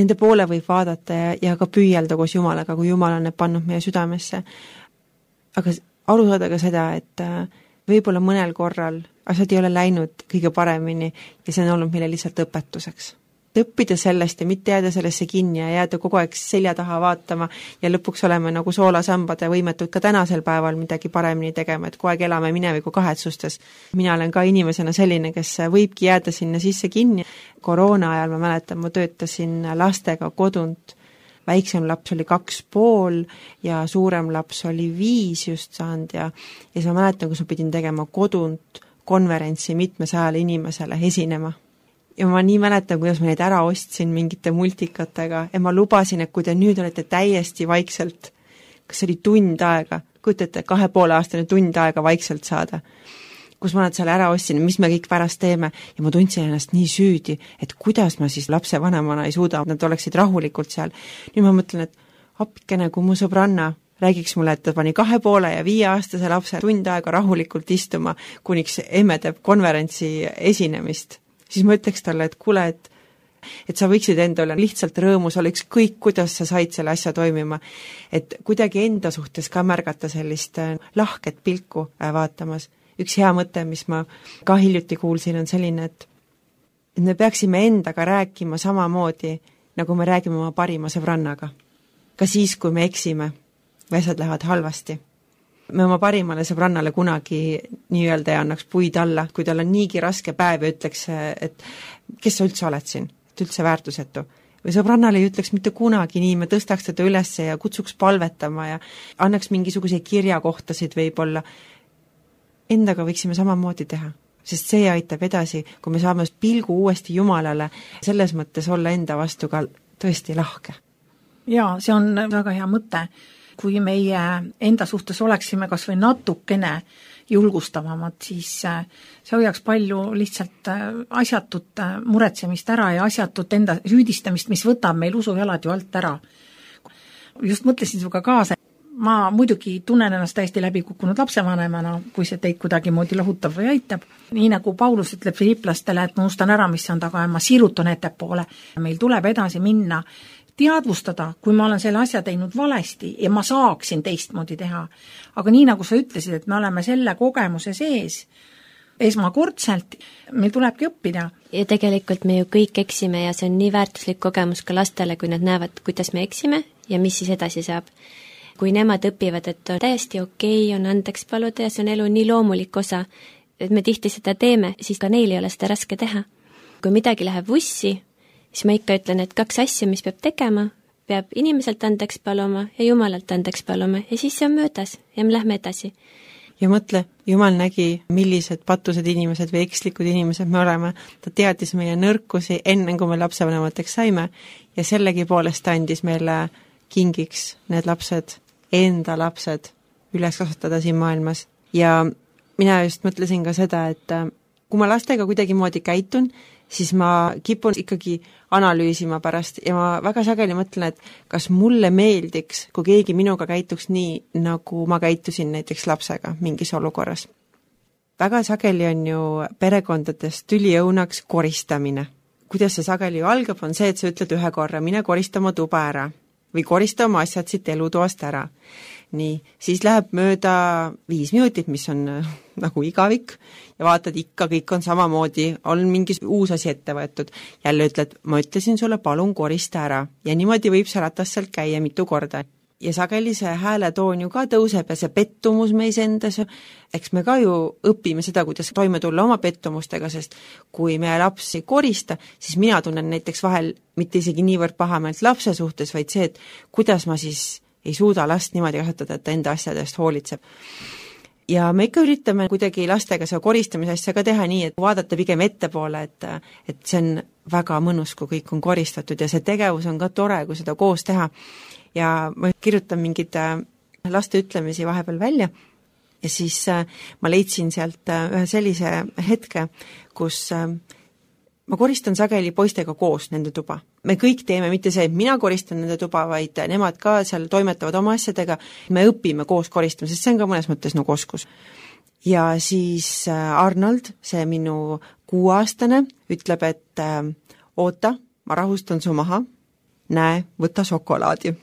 Nende poole võib vaadata ja, ja ka püüelda koos Jumalaga, kui Jumal on need pannud meie südamesse. Aga aru saada ka seda, et võib-olla mõnel korral asjad ei ole läinud kõige paremini ja see on olnud meile lihtsalt õpetuseks. Õppida sellest ja mitte jääda sellesse kinni ja jääda kogu aeg selja taha vaatama ja lõpuks oleme nagu soolasambad ja võimetud ka tänasel päeval midagi paremini tegema, et kogu aeg elame mineviku kahetsustes. Mina olen ka inimesena selline, kes võibki jääda sinna sisse kinni. Koroona ajal ma mäletan, ma töötasin lastega kodunt. Väiksem laps oli kaks pool ja suurem laps oli viis just saanud ja, ja siis ma mäletan, kus ma pidin tegema kodunt konverentsi mitmesajale inimesele esinema. Ja ma nii mäletan, kuidas ma neid ära ostsin mingite multikatega ja ma lubasin, et kui te nüüd olete täiesti vaikselt, kas oli tund aega, kujutate kahe poole aastane tund aega vaikselt saada, kus ma nad seal ära ostsin, mis me kõik pärast teeme ja ma tundsin ennast nii süüdi, et kuidas ma siis lapse vanemana ei suuda, nad oleksid rahulikult seal. Nüüd ma mõtlen, et appikene, kui mu sõbranna räägiks mulle, et ta pani kahe poole ja viie aastase lapse tund aega rahulikult istuma, kuniks emme teeb konverentsi esinemist. Siis ma ütleks talle, et kuule, et, et sa võiksid enda üle lihtsalt rõõmus olla ükskõik, kuidas sa said selle asja toimima. Et kuidagi enda suhtes ka märgata sellist lahket pilku vaatamas. Üks hea mõte, mis ma ka hiljuti kuulsin, on selline, et et me peaksime endaga rääkima samamoodi, nagu me räägime oma parima sõbrannaga. Ka siis, kui me eksime või asjad lähevad halvasti. Me oma parimale sõbrannale kunagi nii-öelda ei annaks puid alla, kui tal on niigi raske päev ja ütleks, et kes sa üldse oled siin, et üldse väärtusetu. Või sõbrannale ei ütleks mitte kunagi nii, me tõstaks teda üles ja kutsuks palvetama ja annaks mingisuguse kirjakohtasid võib-olla. Endaga võiksime samamoodi teha, sest see aitab edasi, kui me saame pilgu uuesti Jumalale, selles mõttes olla enda vastu ka tõesti lahke. Jaa, see on väga hea mõte. Kui meie enda suhtes oleksime kas või natukene julgustavamad, siis see hoiaks palju lihtsalt asjatut muretsemist ära ja asjatut enda süüdistamist, mis võtab meil usujalad ju alt ära. Just mõtlesin sinuga kaasa, ma muidugi tunnen ennast täiesti läbi kukkunud lapsevanemana, kui see teid kuidagi moodi lohutab või aitab. Nii nagu Paulus ütleb filiplastele, et ma unustan ära, mis on taga ja ma sirutan ettepoole. Meil tuleb edasi minna, teadvustada, kui ma olen selle asja teinud valesti ja ma saaksin teistmoodi teha. Aga nii nagu sa ütlesid, et me oleme selle kogemuse sees esmakordselt, meil tulebki õppida. Ja tegelikult me ju kõik eksime ja see on nii väärtuslik kogemus ka lastele, kui nad näevad, kuidas me eksime ja mis siis edasi saab. Kui nemad õpivad, et on täiesti okei, on andeks paluda ja see on elu nii loomulik osa, et me tihti seda teeme, siis ka neil ei ole seda raske teha. Kui midagi läheb vussi, siis ma ikka ütlen, et kaks asja, mis peab tegema, peab inimeselt andeks paluma ja Jumalalt andeks paluma ja siis see on möödas ja me lähme edasi. Ja mõtle, Jumal nägi, millised patused inimesed või ekslikud inimesed me oleme. Ta teadis meie nõrkusi enne, kui me lapsevanemateks saime ja sellegi poolest andis meile kingiks need lapsed, enda lapsed üles kasvatada siin maailmas. Ja mina just mõtlesin ka seda, et kui ma lastega kuidagi moodi käitun, siis ma kipun ikkagi analüüsima pärast ja ma väga sageli mõtlen, et kas mulle meeldiks, kui keegi minuga käituks nii, nagu ma käitusin näiteks lapsega mingis olukorras. Väga sageli on ju perekondades tüliõunaks koristamine. Kuidas see sageli ju algab, on see, et sa ütled ühe korra, mine korista oma tuba ära või korista oma asjad siit elutoast ära. Nii, siis läheb mööda viis minutit, mis on äh, nagu igavik ja vaatad ikka, kõik on samamoodi, on mingi uus asi ette võetud. Jälle ütled, ma ütlesin sulle, palun korista ära ja niimoodi võib see ratas sealt käia mitu korda. Ja sageli see hääletoon ju ka tõuseb ja see pettumus meis endas, eks me ka ju õpime seda, kuidas toime tulla oma pettumustega, sest kui meie laps ei korista, siis mina tunnen näiteks vahel mitte isegi niivõrd pahameelt lapse suhtes, vaid see, et kuidas ma siis ei suuda last niimoodi kasvatada, et ta enda asjadest hoolitseb. Ja me ikka üritame kuidagi lastega see koristamise asja ka teha nii, et vaadata pigem ettepoole, et, et see on väga mõnus, kui kõik on koristatud ja see tegevus on ka tore, kui seda koos teha. Ja ma kirjutan mingid laste ütlemisi vahepeal välja ja siis ma leidsin sealt ühe sellise hetke, kus ma koristan sageli poistega koos nende tuba. Me kõik teeme mitte see, et mina koristan nende tuba, vaid nemad ka seal toimetavad oma asjadega. Me õpime koos koristama, sest see on ka mõnes mõttes nagu oskus. Ja siis Arnold, see minu kuuaastane, ütleb, et oota, ma rahustan su maha, näe, võta šokolaadi.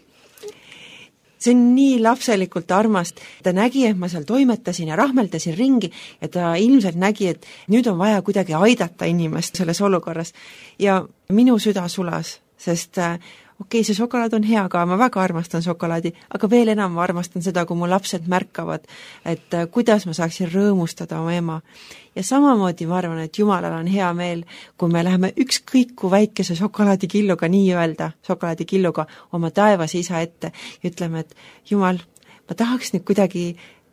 See on nii lapselikult armast. Ta nägi, et ma seal toimetasin ja rahmeldasin ringi ja ta ilmselt nägi, et nüüd on vaja kuidagi aidata inimest selles olukorras. Ja minu süda sulas, sest okei, okay, see šokolaad on hea ka, ma väga armastan šokolaadi, aga veel enam ma armastan seda, kui mu lapsed märkavad, et kuidas ma saaksin rõõmustada oma ema. Ja samamoodi ma arvan, et Jumalal on hea meel, kui me läheme ükskõik kui väikese šokolaadikilluga, nii öelda, šokolaadikilluga oma taevas isa ette ja ütleme, et Jumal, ma tahaks nüüd kuidagi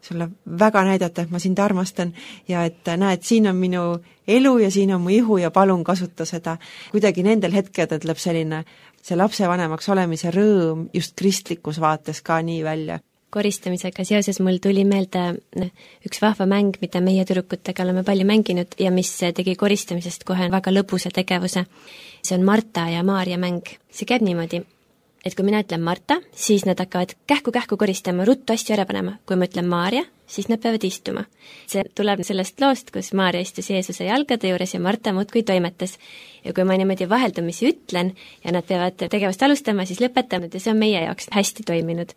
sulle väga näidata, et ma sind armastan ja et näed, siin on minu elu ja siin on mu ihu ja palun kasuta seda. Kuidagi nendel hetkedel tuleb selline see lapsevanemaks olemise rõõm just kristlikus vaates ka nii välja. Koristamisega seoses mul tuli meelde üks vahva mäng, mida meie tüdrukutega oleme palju mänginud ja mis tegi koristamisest kohe väga lõbusa tegevuse. See on Marta ja Maarja mäng. See käib niimoodi, et kui mina ütlen Marta, siis nad hakkavad kähku-kähku koristama, ruttu asju ära panema. Kui ma ütlen Maarja, siis nad peavad istuma. See tuleb sellest loost, kus Maarja istus Jeesuse jalgade juures ja Marta muudkui toimetas. Ja kui ma niimoodi vaheldumisi ütlen ja nad peavad tegevust alustama, siis lõpetanud ja see on meie jaoks hästi toiminud.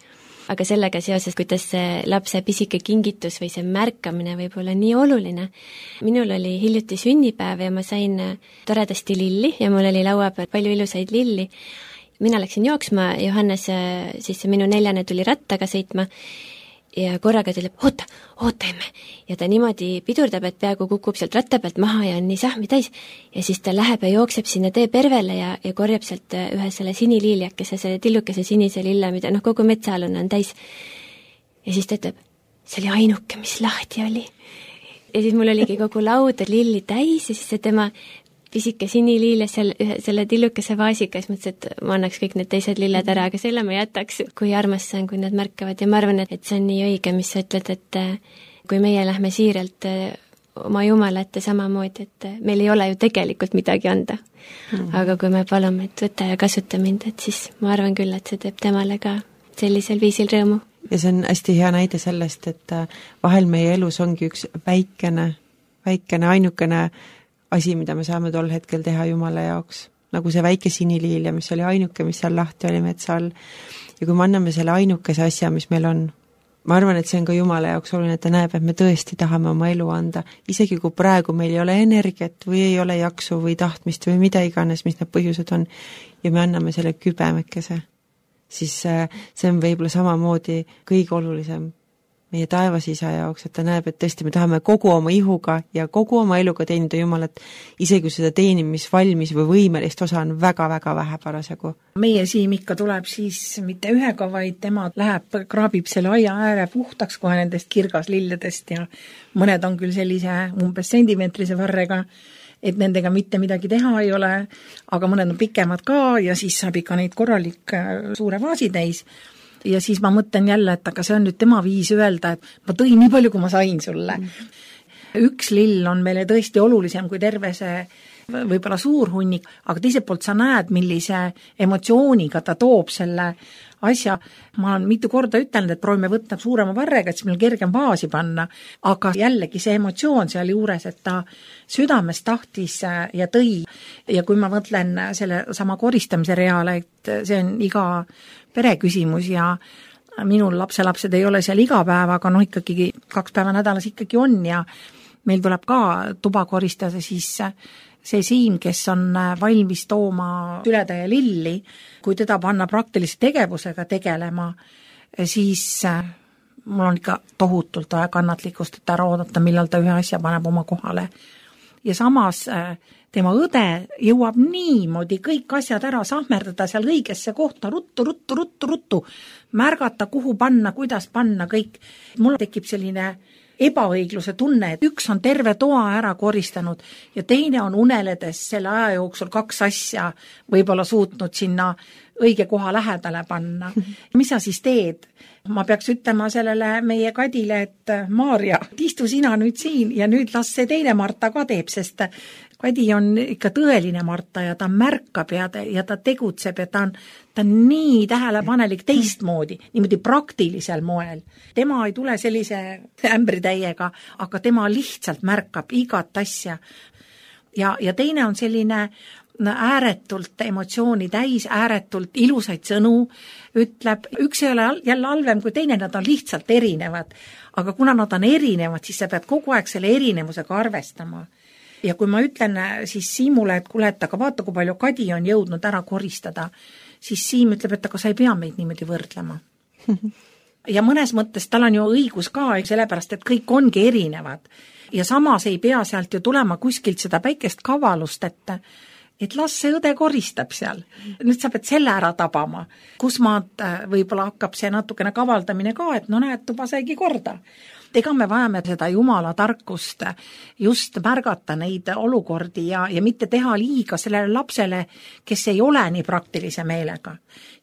Aga sellega seoses, kuidas see lapse pisike kingitus või see märkamine võib olla nii oluline. Minul oli hiljuti sünnipäev ja ma sain toredasti lilli ja mul oli laua peal palju ilusaid lilli. Mina läksin jooksma, Johannes, siis minu neljane tuli rattaga sõitma ja korraga ta ütleb, oota, oota emme. Ja ta niimoodi pidurdab, et peaaegu kukub sealt ratta pealt maha ja on nii sahmi täis. Ja siis ta läheb ja jookseb sinna tee pervele ja, ja korjab sealt ühe selle siniliiliakese, selle tillukese sinise lille, mida noh, kogu metsaalune on täis. Ja siis ta ütleb, see oli ainuke, mis lahti oli. Ja siis mul oligi kogu lauda lilli täis ja siis see tema pisike siniliile seal ühe, selle tillukese vaasiga, siis mõtlesin, et ma annaks kõik need teised lilled ära, aga selle ma jätaks, kui armas see on, kui nad märkavad ja ma arvan, et see on nii õige, mis sa ütled, et kui meie lähme siiralt oma Jumala ette samamoodi, et meil ei ole ju tegelikult midagi anda. Mm. Aga kui me palume, et võta ja kasuta mind, et siis ma arvan küll, et see teeb temale ka sellisel viisil rõõmu. Ja see on hästi hea näide sellest, et vahel meie elus ongi üks väikene, väikene, ainukene asi, mida me saame tol hetkel teha Jumala jaoks. Nagu see väike siniliilja, mis oli ainuke, mis seal lahti oli metsa all. Ja kui me anname selle ainukese asja, mis meil on, ma arvan, et see on ka Jumala jaoks oluline, et ta näeb, et me tõesti tahame oma elu anda. Isegi kui praegu meil ei ole energiat või ei ole jaksu või tahtmist või mida iganes, mis need põhjused on, ja me anname selle kübemekese, siis see on võib-olla samamoodi kõige olulisem meie taevasisa jaoks, et ta näeb, et tõesti me tahame kogu oma ihuga ja kogu oma eluga teenida Jumalat, isegi seda teenimisvalmis või võimelist osa on väga-väga vähe parasjagu. Meie siim ikka tuleb siis mitte ühega, vaid tema läheb, kraabib selle aia ääre puhtaks kohe nendest kirgaslilledest ja mõned on küll sellise umbes sentimeetrise varrega, et nendega mitte midagi teha ei ole, aga mõned on pikemad ka ja siis saab ikka neid korralik suure vaasi täis. Ja siis ma mõtlen jälle, et aga see on nüüd tema viis öelda, et ma tõin nii palju, kui ma sain sulle. Mm. Üks lill on meile tõesti olulisem kui terve see võib-olla suur hunnik, aga teiselt poolt sa näed, millise emotsiooniga ta toob selle asja. Ma olen mitu korda ütelnud, et proovime võtta suurema varrega, et siis meil kergem vaasi panna, aga jällegi see emotsioon seal juures, et ta südames tahtis ja tõi. Ja kui ma mõtlen selle sama koristamise reale, et see on iga pere küsimus ja minul lapselapsed ei ole seal iga päev, aga noh ikkagi kaks päeva nädalas ikkagi on ja meil tuleb ka tuba koristada siis see siim, kes on valmis tooma sületäie lilli, kui teda panna praktilise tegevusega tegelema, siis mul on ikka tohutult vaja kannatlikkust, et ära oodata, millal ta ühe asja paneb oma kohale. Ja samas tema õde jõuab niimoodi kõik asjad ära sahmerdada seal õigesse kohta, ruttu, ruttu, ruttu, ruttu, märgata, kuhu panna, kuidas panna kõik. Mul tekib selline ebaõigluse tunne, et üks on terve toa ära koristanud ja teine on uneledes selle aja jooksul kaks asja võib-olla suutnud sinna õige koha lähedale panna. Mis sa siis teed? Ma peaks ütlema sellele meie Kadile, et Maarja, istu sina nüüd siin ja nüüd las see teine Marta ka teeb, sest Kadi on ikka tõeline Marta ja ta märkab ja ta, ja ta tegutseb ja ta on, ta on nii tähelepanelik teistmoodi, niimoodi praktilisel moel. Tema ei tule sellise ämbritäiega, aga tema lihtsalt märkab igat asja. Ja, ja teine on selline ääretult emotsiooni täis, ääretult ilusaid sõnu, ütleb, üks ei ole jälle halvem kui teine, nad on lihtsalt erinevad. Aga kuna nad on erinevad, siis sa pead kogu aeg selle erinevusega arvestama. Ja kui ma ütlen siis Siimule, et kuule, et aga vaata, kui palju Kadi on jõudnud ära koristada, siis Siim ütleb, et aga sa ei pea meid niimoodi võrdlema. Ja mõnes mõttes tal on ju õigus ka, sellepärast, et kõik ongi erinevad. Ja samas ei pea sealt ju tulema kuskilt seda päikest kavalust, et et las see õde koristab seal. Nüüd sa pead selle ära tabama, kus maad võib-olla hakkab see natukene kavaldamine ka, et no näed, tuba saigi korda. Ega me vajame seda Jumala tarkust just märgata neid olukordi ja, ja mitte teha liiga sellele lapsele, kes ei ole nii praktilise meelega.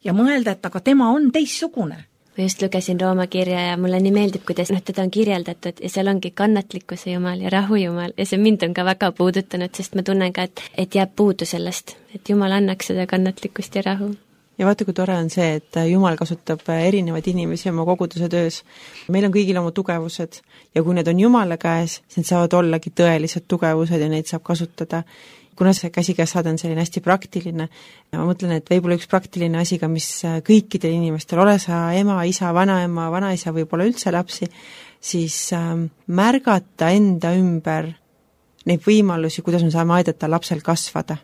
Ja mõelda, et aga tema on teissugune. Ma just lugesin Rooma kirja ja mulle nii meeldib, kuidas noh, teda on kirjeldatud ja seal ongi kannatlikkuse Jumal ja rahu Jumal ja see mind on ka väga puudutanud, sest ma tunnen ka, et, et jääb puudu sellest, et Jumal annaks seda kannatlikkust ja rahu. ja vaata, kui tore on see, et Jumal kasutab erinevaid inimesi oma koguduse töös. Meil on kõigil oma tugevused ja kui need on Jumala käes, siis need saavad ollagi tõelised tugevused ja neid saab kasutada. Kuna see käsikäes saade on selline hästi praktiline, ma mõtlen, et võib-olla üks praktiline asi ka, mis kõikidel inimestel, ole sa ema, isa, vanaema, vanaisa, võib-olla üldse lapsi, siis märgata enda ümber neid võimalusi, kuidas me saame aidata lapsel kasvada.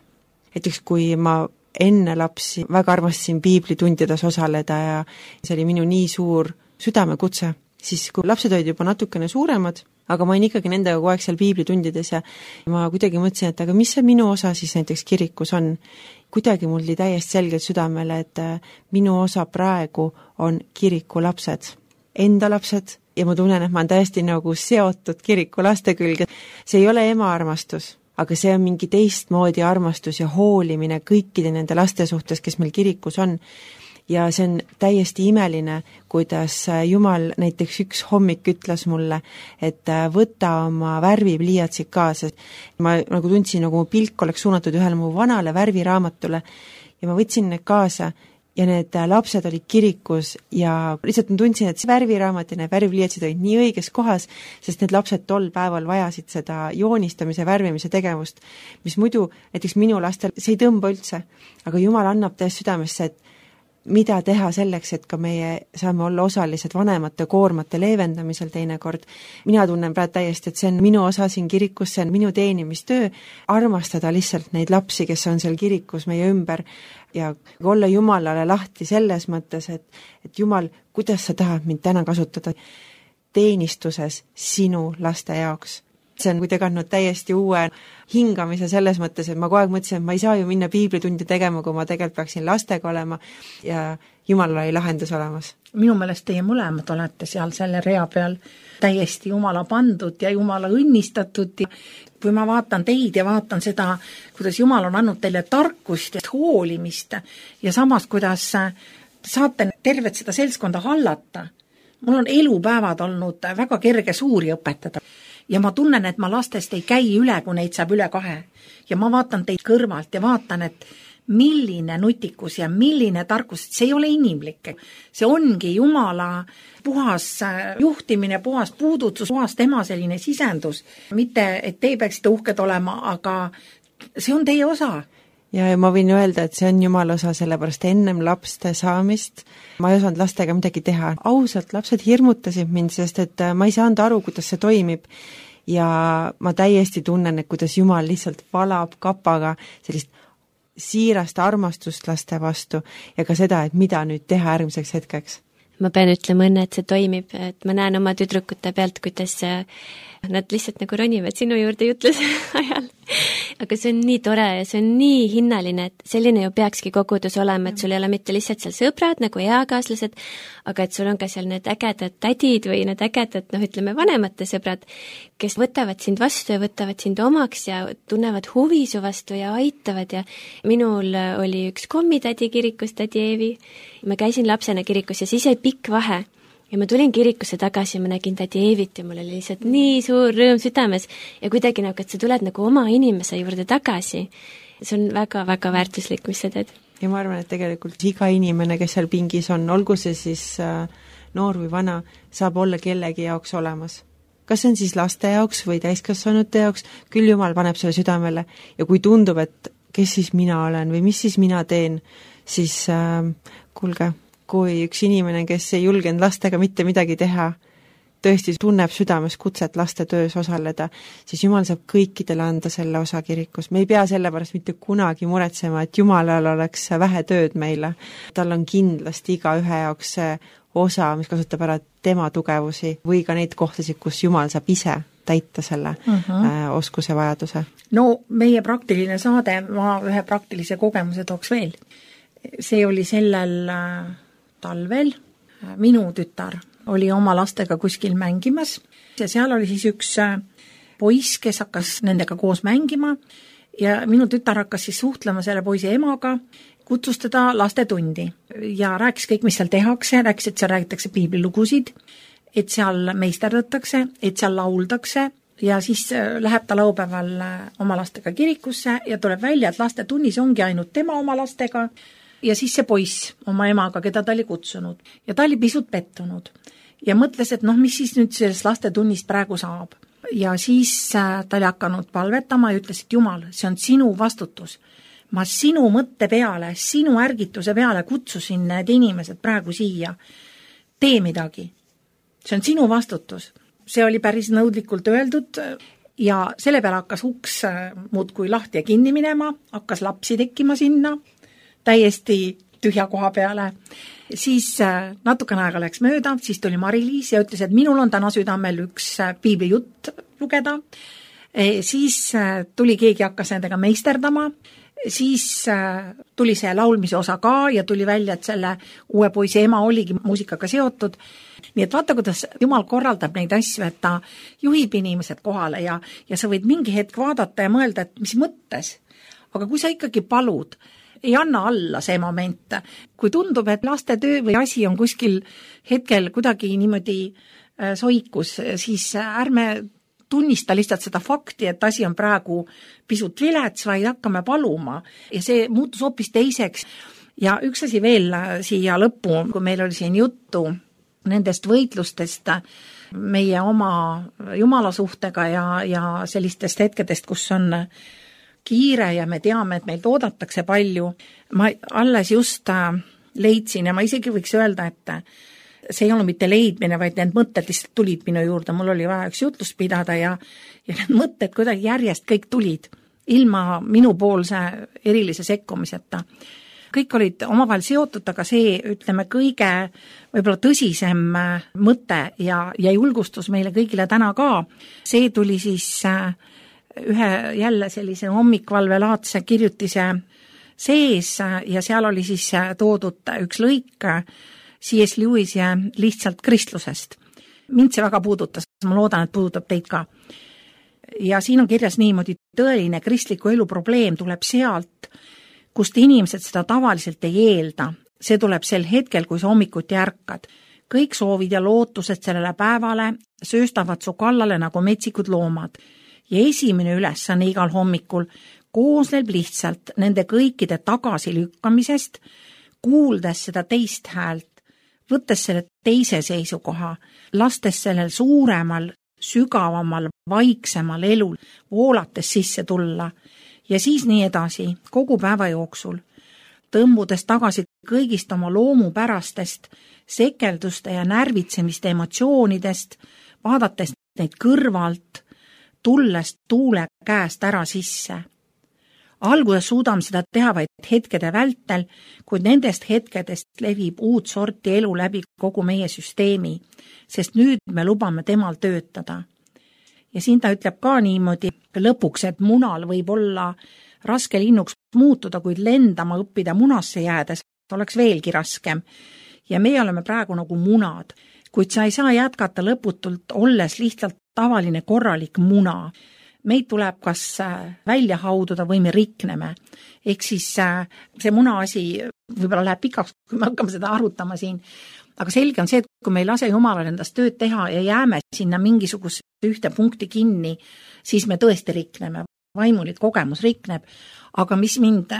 Näiteks kui ma enne lapsi väga armastasin piiblitundides osaleda ja see oli minu nii suur südamekutse, siis kui lapsed olid juba natukene suuremad, aga ma olin ikkagi nendega kogu aeg seal piiblitundides ja ma kuidagi mõtlesin, et aga mis see minu osa siis näiteks kirikus on. Kuidagi mul oli täiesti selgelt südamele, et minu osa praegu on kiriku lapsed, enda lapsed ja ma tunnen, et ma olen täiesti nagu seotud kiriku laste külge. See ei ole ema armastus, aga see on mingi teistmoodi armastus ja hoolimine kõikide nende laste suhtes, kes meil kirikus on. Ja see on täiesti imeline, kuidas Jumal näiteks üks hommik ütles mulle, et võta oma värvipliiatsid kaasa. Ma nagu tundsin, nagu mu pilk oleks suunatud ühele mu vanale värviraamatule ja ma võtsin need kaasa ja need lapsed olid kirikus ja lihtsalt ma tundsin, et see värviraamat ja need värvipliiatsid olid nii õiges kohas, sest need lapsed tol päeval vajasid seda joonistamise, värvimise tegevust, mis muidu näiteks minu lastel, see ei tõmba üldse, aga Jumal annab täiesti südamesse, et mida teha selleks, et ka meie saame olla osalised vanemate koormate leevendamisel teinekord. Mina tunnen praegu täiesti, et see on minu osa siin kirikus, see on minu teenimistöö, armastada lihtsalt neid lapsi, kes on seal kirikus meie ümber ja olla Jumalale lahti selles mõttes, et, et Jumal, kuidas sa tahad mind täna kasutada teenistuses sinu laste jaoks. See on kuidagi andnud täiesti uue hingamise selles mõttes, et ma kogu aeg mõtlesin, et ma ei saa ju minna piiblitundi tegema, kui ma tegelikult peaksin lastega olema ja Jumalal oli lahendus olemas. Minu meelest teie mõlemad olete seal selle rea peal täiesti Jumala pandud ja Jumala õnnistatud. Kui ma vaatan teid ja vaatan seda, kuidas Jumal on andnud teile tarkust ja hoolimist ja samas, kuidas saate tervet seda seltskonda hallata. Mul on elupäevad olnud väga kerge suuri õpetada. Ja ma tunnen, et ma lastest ei käi üle, kui neid saab üle kahe. Ja ma vaatan teid kõrvalt ja vaatan, et milline nutikus ja milline tarkus, see ei ole inimlik. See ongi Jumala puhas juhtimine, puhas puudutus, puhas tema selline sisendus. Mitte, et te peaksite uhked olema, aga see on teie osa. Ja ma võin öelda, et see on Jumala osa, sellepärast ennem lapste saamist ma ei osanud lastega midagi teha. Ausalt, lapsed hirmutasid mind, sest et ma ei saanud aru, kuidas see toimib ja ma täiesti tunnen, et kuidas Jumal lihtsalt valab kapaga sellist siirast armastust laste vastu ja ka seda, et mida nüüd teha järgmiseks hetkeks. Ma pean ütlema õnne, et see toimib, et ma näen oma tüdrukute pealt, kuidas nad lihtsalt nagu ronivad sinu juurde jutluse ajal. Aga see on nii tore ja see on nii hinnaline, et selline ju peakski kogudus olema, et sul ei ole mitte lihtsalt seal sõbrad nagu eakaaslased, aga et sul on ka seal need ägedad tädid või need ägedad, noh ütleme, vanemate sõbrad, kes võtavad sind vastu ja võtavad sind omaks ja tunnevad huvi su vastu ja aitavad ja minul oli üks kommitädi kirikus, tädi Eevi. Ma käisin lapsena kirikus ja siis jäi pikk vahe. Ja ma tulin kirikusse tagasi ja ma nägin tädi Eevit ja mul oli lihtsalt nii suur rõõm südames ja kuidagi nagu, et sa tuled nagu oma inimese juurde tagasi. See on väga-väga väärtuslik, mis sa teed. Ja ma arvan, et tegelikult iga inimene, kes seal pingis on, olgu see siis noor või vana, saab olla kellegi jaoks olemas. Kas see on siis laste jaoks või täiskasvanute jaoks, küll Jumal paneb selle südamele ja kui tundub, et kes siis mina olen või mis siis mina teen, siis äh, kuulge, kui üks inimene, kes ei julgenud lastega mitte midagi teha, tõesti tunneb südames kutset laste töös osaleda, siis Jumal saab kõikidele anda selle osa kirikus. Me ei pea selle pärast mitte kunagi muretsema, et Jumalal oleks vähe tööd meile. Tal on kindlasti iga ühe jaoks see osa, mis kasutab ära tema tugevusi või ka neid kohtasid, kus Jumal saab ise täita selle uh-huh. äh, oskuse vajaduse. No meie praktiline saade, ma ühe praktilise kogemuse tooks veel. See oli sellel äh, talvel, minu tütar oli oma lastega kuskil mängimas ja seal oli siis üks poiss, kes hakkas nendega koos mängima ja minu tütar hakkas siis suhtlema selle poisi emaga, kutsus teda lastetundi ja rääkis kõik, mis seal tehakse, rääkis, et seal räägitakse piiblilugusid, et seal meisterdatakse, et seal lauldakse ja siis läheb ta laupäeval oma lastega kirikusse ja tuleb välja, et lastetunnis ongi ainult tema oma lastega ja siis see poiss oma emaga, keda ta oli kutsunud ja ta oli pisut pettunud ja mõtles, et noh, mis siis nüüd sellest lastetunnist praegu saab. Ja siis ta oli hakanud palvetama ja ütles, et Jumal, see on sinu vastutus. Ma sinu mõtte peale, sinu ärgituse peale kutsusin need inimesed praegu siia. Tee midagi. See on sinu vastutus. See oli päris nõudlikult öeldud ja selle peale hakkas uks muudkui lahti ja kinni minema, hakkas lapsi tekkima sinna, täiesti tühja koha peale. Siis natukene aega läks mööda, siis tuli Mari-Liis ja ütles, et minul on täna südamel üks piiblijutt lugeda. Siis tuli keegi hakkas nendega meisterdama, siis tuli see laulmise osa ka ja tuli välja, et selle uue poisi ema oligi muusikaga seotud. Nii et vaata, kuidas Jumal korraldab neid asju, et ta juhib inimesed kohale ja, ja sa võid mingi hetk vaadata ja mõelda, et mis mõttes. Aga kui sa ikkagi palud, ei anna alla see moment. Kui tundub, et laste töö või asi on kuskil hetkel kuidagi niimoodi soikus, siis ärme tunnista lihtsalt seda fakti, et asi on praegu pisut vilets, vaid hakkame paluma. Ja see muutus hoopis teiseks. Ja üks asi veel siia lõppu, kui meil oli siin juttu nendest võitlustest meie oma Jumala suhtega ja, ja sellistest hetkedest, kus on kiire ja me teame, et meilt oodatakse palju. Ma alles just leidsin ja ma isegi võiks öelda, et see ei olnud mitte leidmine, vaid need mõtted lihtsalt tulid minu juurde. Mul oli vaja üks jutlust pidada ja, ja need mõtted kuidagi järjest kõik tulid ilma minupoolse erilise sekkumiseta. Kõik olid omavahel seotud, aga see, ütleme, kõige võib-olla tõsisem mõte ja, ja julgustus meile kõigile täna ka. See tuli siis ühe jälle sellise hommikvalvelaadse kirjutise sees ja seal oli siis toodud üks lõik C S Lewis ja lihtsalt kristlusest. Mind see väga puudutas, ma loodan, et puudutab teid ka. Ja siin on kirjas niimoodi, tõeline kristliku elu probleem tuleb sealt, kust inimesed seda tavaliselt ei eelda. See tuleb sel hetkel, kui sa hommikuti ärkad. Kõik soovid ja lootused sellele päevale sööstavad su kallale nagu metsikud loomad. Ja esimene ülesanne igal hommikul koosneb lihtsalt nende kõikide tagasilükkamisest, kuuldes seda teist häält, võttes selle teise seisukoha, lastes sellel suuremal, sügavamal, vaiksemal elul voolates sisse tulla ja siis nii edasi kogu päeva jooksul, tõmbudes tagasi kõigist oma loomupärastest, sekelduste ja närvitsemiste emotsioonidest, vaadates neid kõrvalt, tulles tuule käest ära sisse. Alguses suudame seda teha vaid hetkede vältel, kuid nendest hetkedest levib uut sorti elu läbi kogu meie süsteemi, sest nüüd me lubame temal töötada. Ja siin ta ütleb ka niimoodi lõpuks, et munal võib olla raske linnuks muutuda, kuid lendama õppida munasse jäädes oleks veelgi raskem. Ja meie oleme praegu nagu munad, kuid sa ei saa jätkata lõputult, olles lihtsalt tavaline korralik muna. Meid tuleb kas välja haududa või me rikneme. Ehk siis see muna asi võib-olla läheb pikaks, kui me hakkame seda arutama siin. Aga selge on see, et kui me ei lase Jumalal endast tööd teha ja jääme sinna mingisuguse ühte punkti kinni, siis me tõesti rikneme. Vaimulik kogemus rikneb. Aga mis mind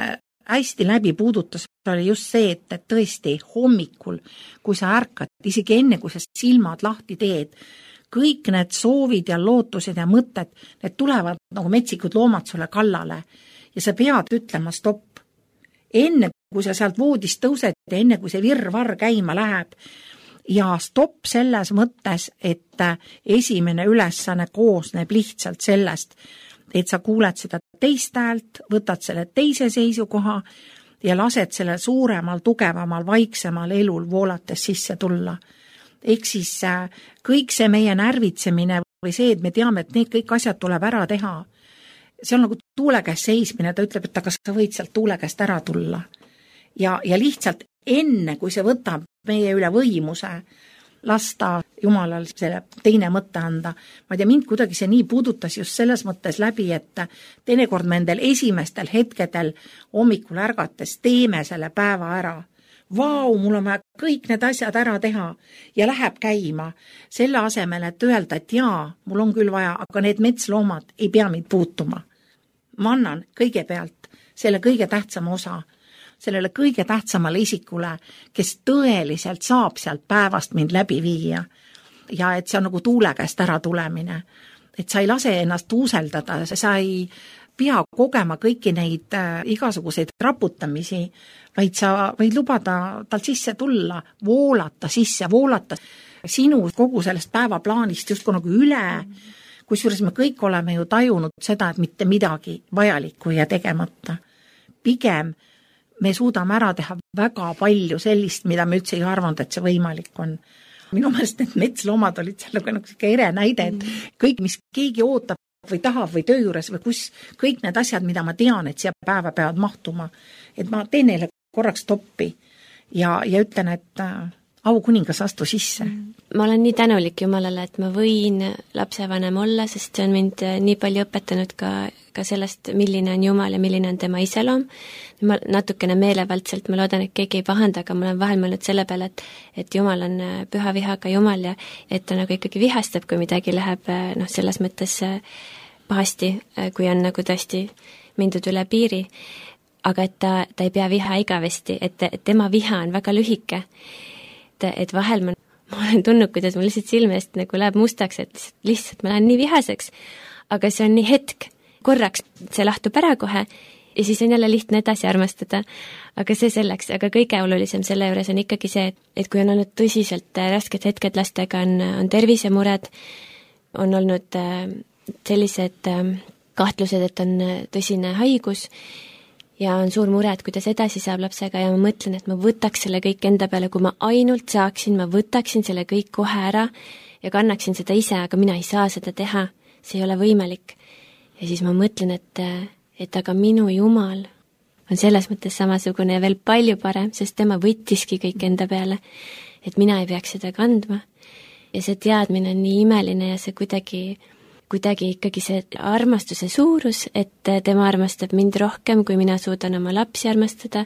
hästi läbi puudutas, oli just see, et, et tõesti hommikul, kui sa ärkad, isegi enne, kui sa silmad lahti teed, kõik need soovid ja lootused ja mõtted, need tulevad nagu metsikud loomad sulle kallale ja sa pead ütlema stopp. Enne, kui sa sealt voodist tõused ja enne, kui see virvar käima läheb ja stopp selles mõttes, et esimene ülesanne koosneb lihtsalt sellest, et sa kuuled seda teist häält, võtad selle teise seisukoha ja lased selle suuremal, tugevamal, vaiksemal elul voolates sisse tulla. Ehk siis kõik see meie närvitsemine või see, et me teame, et need kõik asjad tuleb ära teha. See on nagu tuule käest seismine, ta ütleb, et aga sa võid sealt tuule käest ära tulla. Ja, ja lihtsalt enne, kui see võtab meie üle võimuse, lasta Jumalal selle teine mõtte anda. Ma tea, mind kuidagi see nii puudutas just selles mõttes läbi, et teinekord me endel esimestel hetkedel hommikul ärgates teeme selle päeva ära. Vau, mul on vaja kõik need asjad ära teha ja läheb käima. Selle asemel, et öelda, et jaa, mul on küll vaja, aga need metsloomad ei pea mind puutuma. Ma annan kõigepealt selle kõige tähtsama osa. sellele kõige tähtsamale isikule, kes tõeliselt saab sealt päevast mind läbi viia. Ja et see on nagu tuule käest ära tulemine. Et sa ei lase ennast tuuseldada, sa ei pea kogema kõiki neid äh, igasuguseid raputamisi, vaid sa võid lubada tal sisse tulla, voolata sisse, voolata sinu kogu sellest päevaplaanist just nagu üle, kusjuures me kõik oleme ju tajunud seda, et mitte midagi vajalikku ja tegemata. Pigem me suudame ära teha väga palju sellist, mida me üldse ei arvanud, et see võimalik on. Minu meelest need metsloomad olid seal nagu ere näide, et kõik, mis keegi ootab või tahab või töö juures või kus, kõik need asjad, mida ma tean, et siia päeva peavad mahtuma, et ma teen neile korraks toppi ja, ja ütlen, et äh, au kuningas astu sisse. Ma olen nii tänulik Jumalale, et ma võin lapsevanem olla, sest see on mind nii palju õpetanud ka, ka sellest, milline on Jumal ja milline on tema iseloom. Ma natukene meelevaldselt, ma loodan, et keegi ei pahanda, aga ma olen vahel mõelnud selle peale, et, et Jumal on püha vihaga Jumal ja et ta nagu ikkagi vihastab, kui midagi läheb noh, selles mõttes pahasti, kui on nagu tõesti mindud üle piiri. Aga et ta, ta ei pea viha igavesti, et, et tema viha on väga lühike. Et, et vahel ma, ma olen tundnud, kuidas ma lihtsalt silmest nagu läheb mustaks, et lihtsalt ma lähen nii vihaseks, aga see on nii hetk, korraks see lahtub ära kohe ja siis on jälle lihtne edasi armastada, aga see selleks, aga kõige olulisem selle juures on ikkagi see, et, et kui on olnud tõsiselt rasked hetked lastega, on, on tervisemured, on olnud sellised kahtlused, et on tõsine haigus ja on suur mure, et kuidas edasi saab lapsega ja ma mõtlen, et ma võtaks selle kõik enda peale, kui ma ainult saaksin, ma võtaksin selle kõik kohe ära ja kannaksin seda ise, aga mina ei saa seda teha, see ei ole võimalik. Ja siis ma mõtlen, et, et aga minu Jumal on selles mõttes samasugune ja veel palju parem, sest tema võttiski kõik enda peale, et mina ei peaks seda kandma. Ja see teadmine on nii imeline ja see kuidagi kuidagi ikkagi see armastuse suurus, et tema armastab mind rohkem, kui mina suudan oma lapsi armastada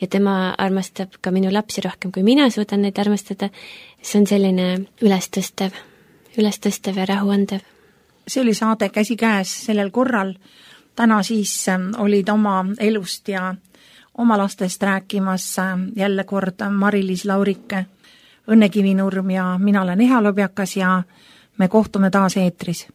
ja tema armastab ka minu lapsi rohkem, kui mina suudan neid armastada. See on selline ülestõstev, ülestõstev ja rahuandev. See oli saade Käsi käes sellel korral. Täna siis olid oma elust ja oma lastest rääkimas jälle kord Mari-Liis Laurike, Õnne Kivinurm ja mina olen Eha Lobjakas ja me kohtume taas eetris.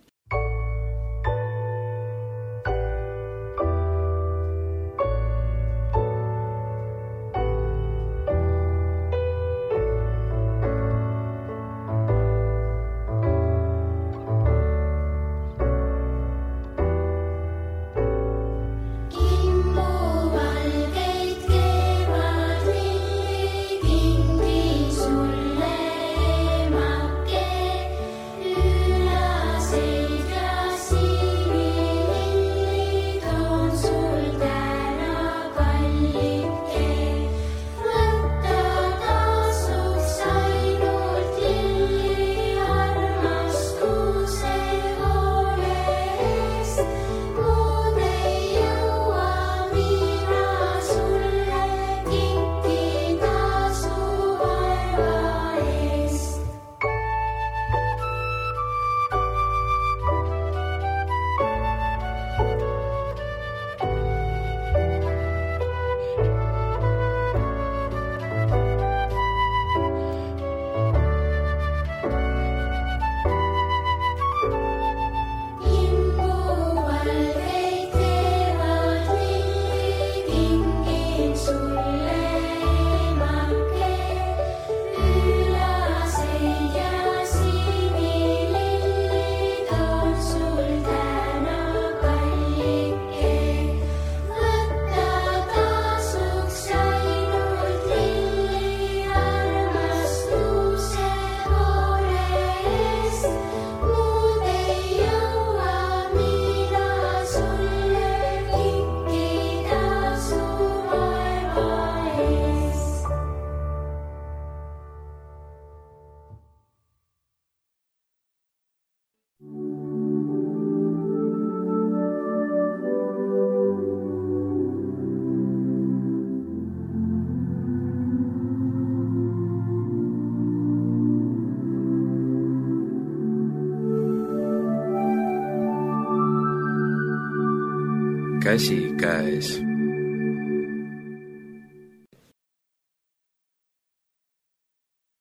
Käsi käes.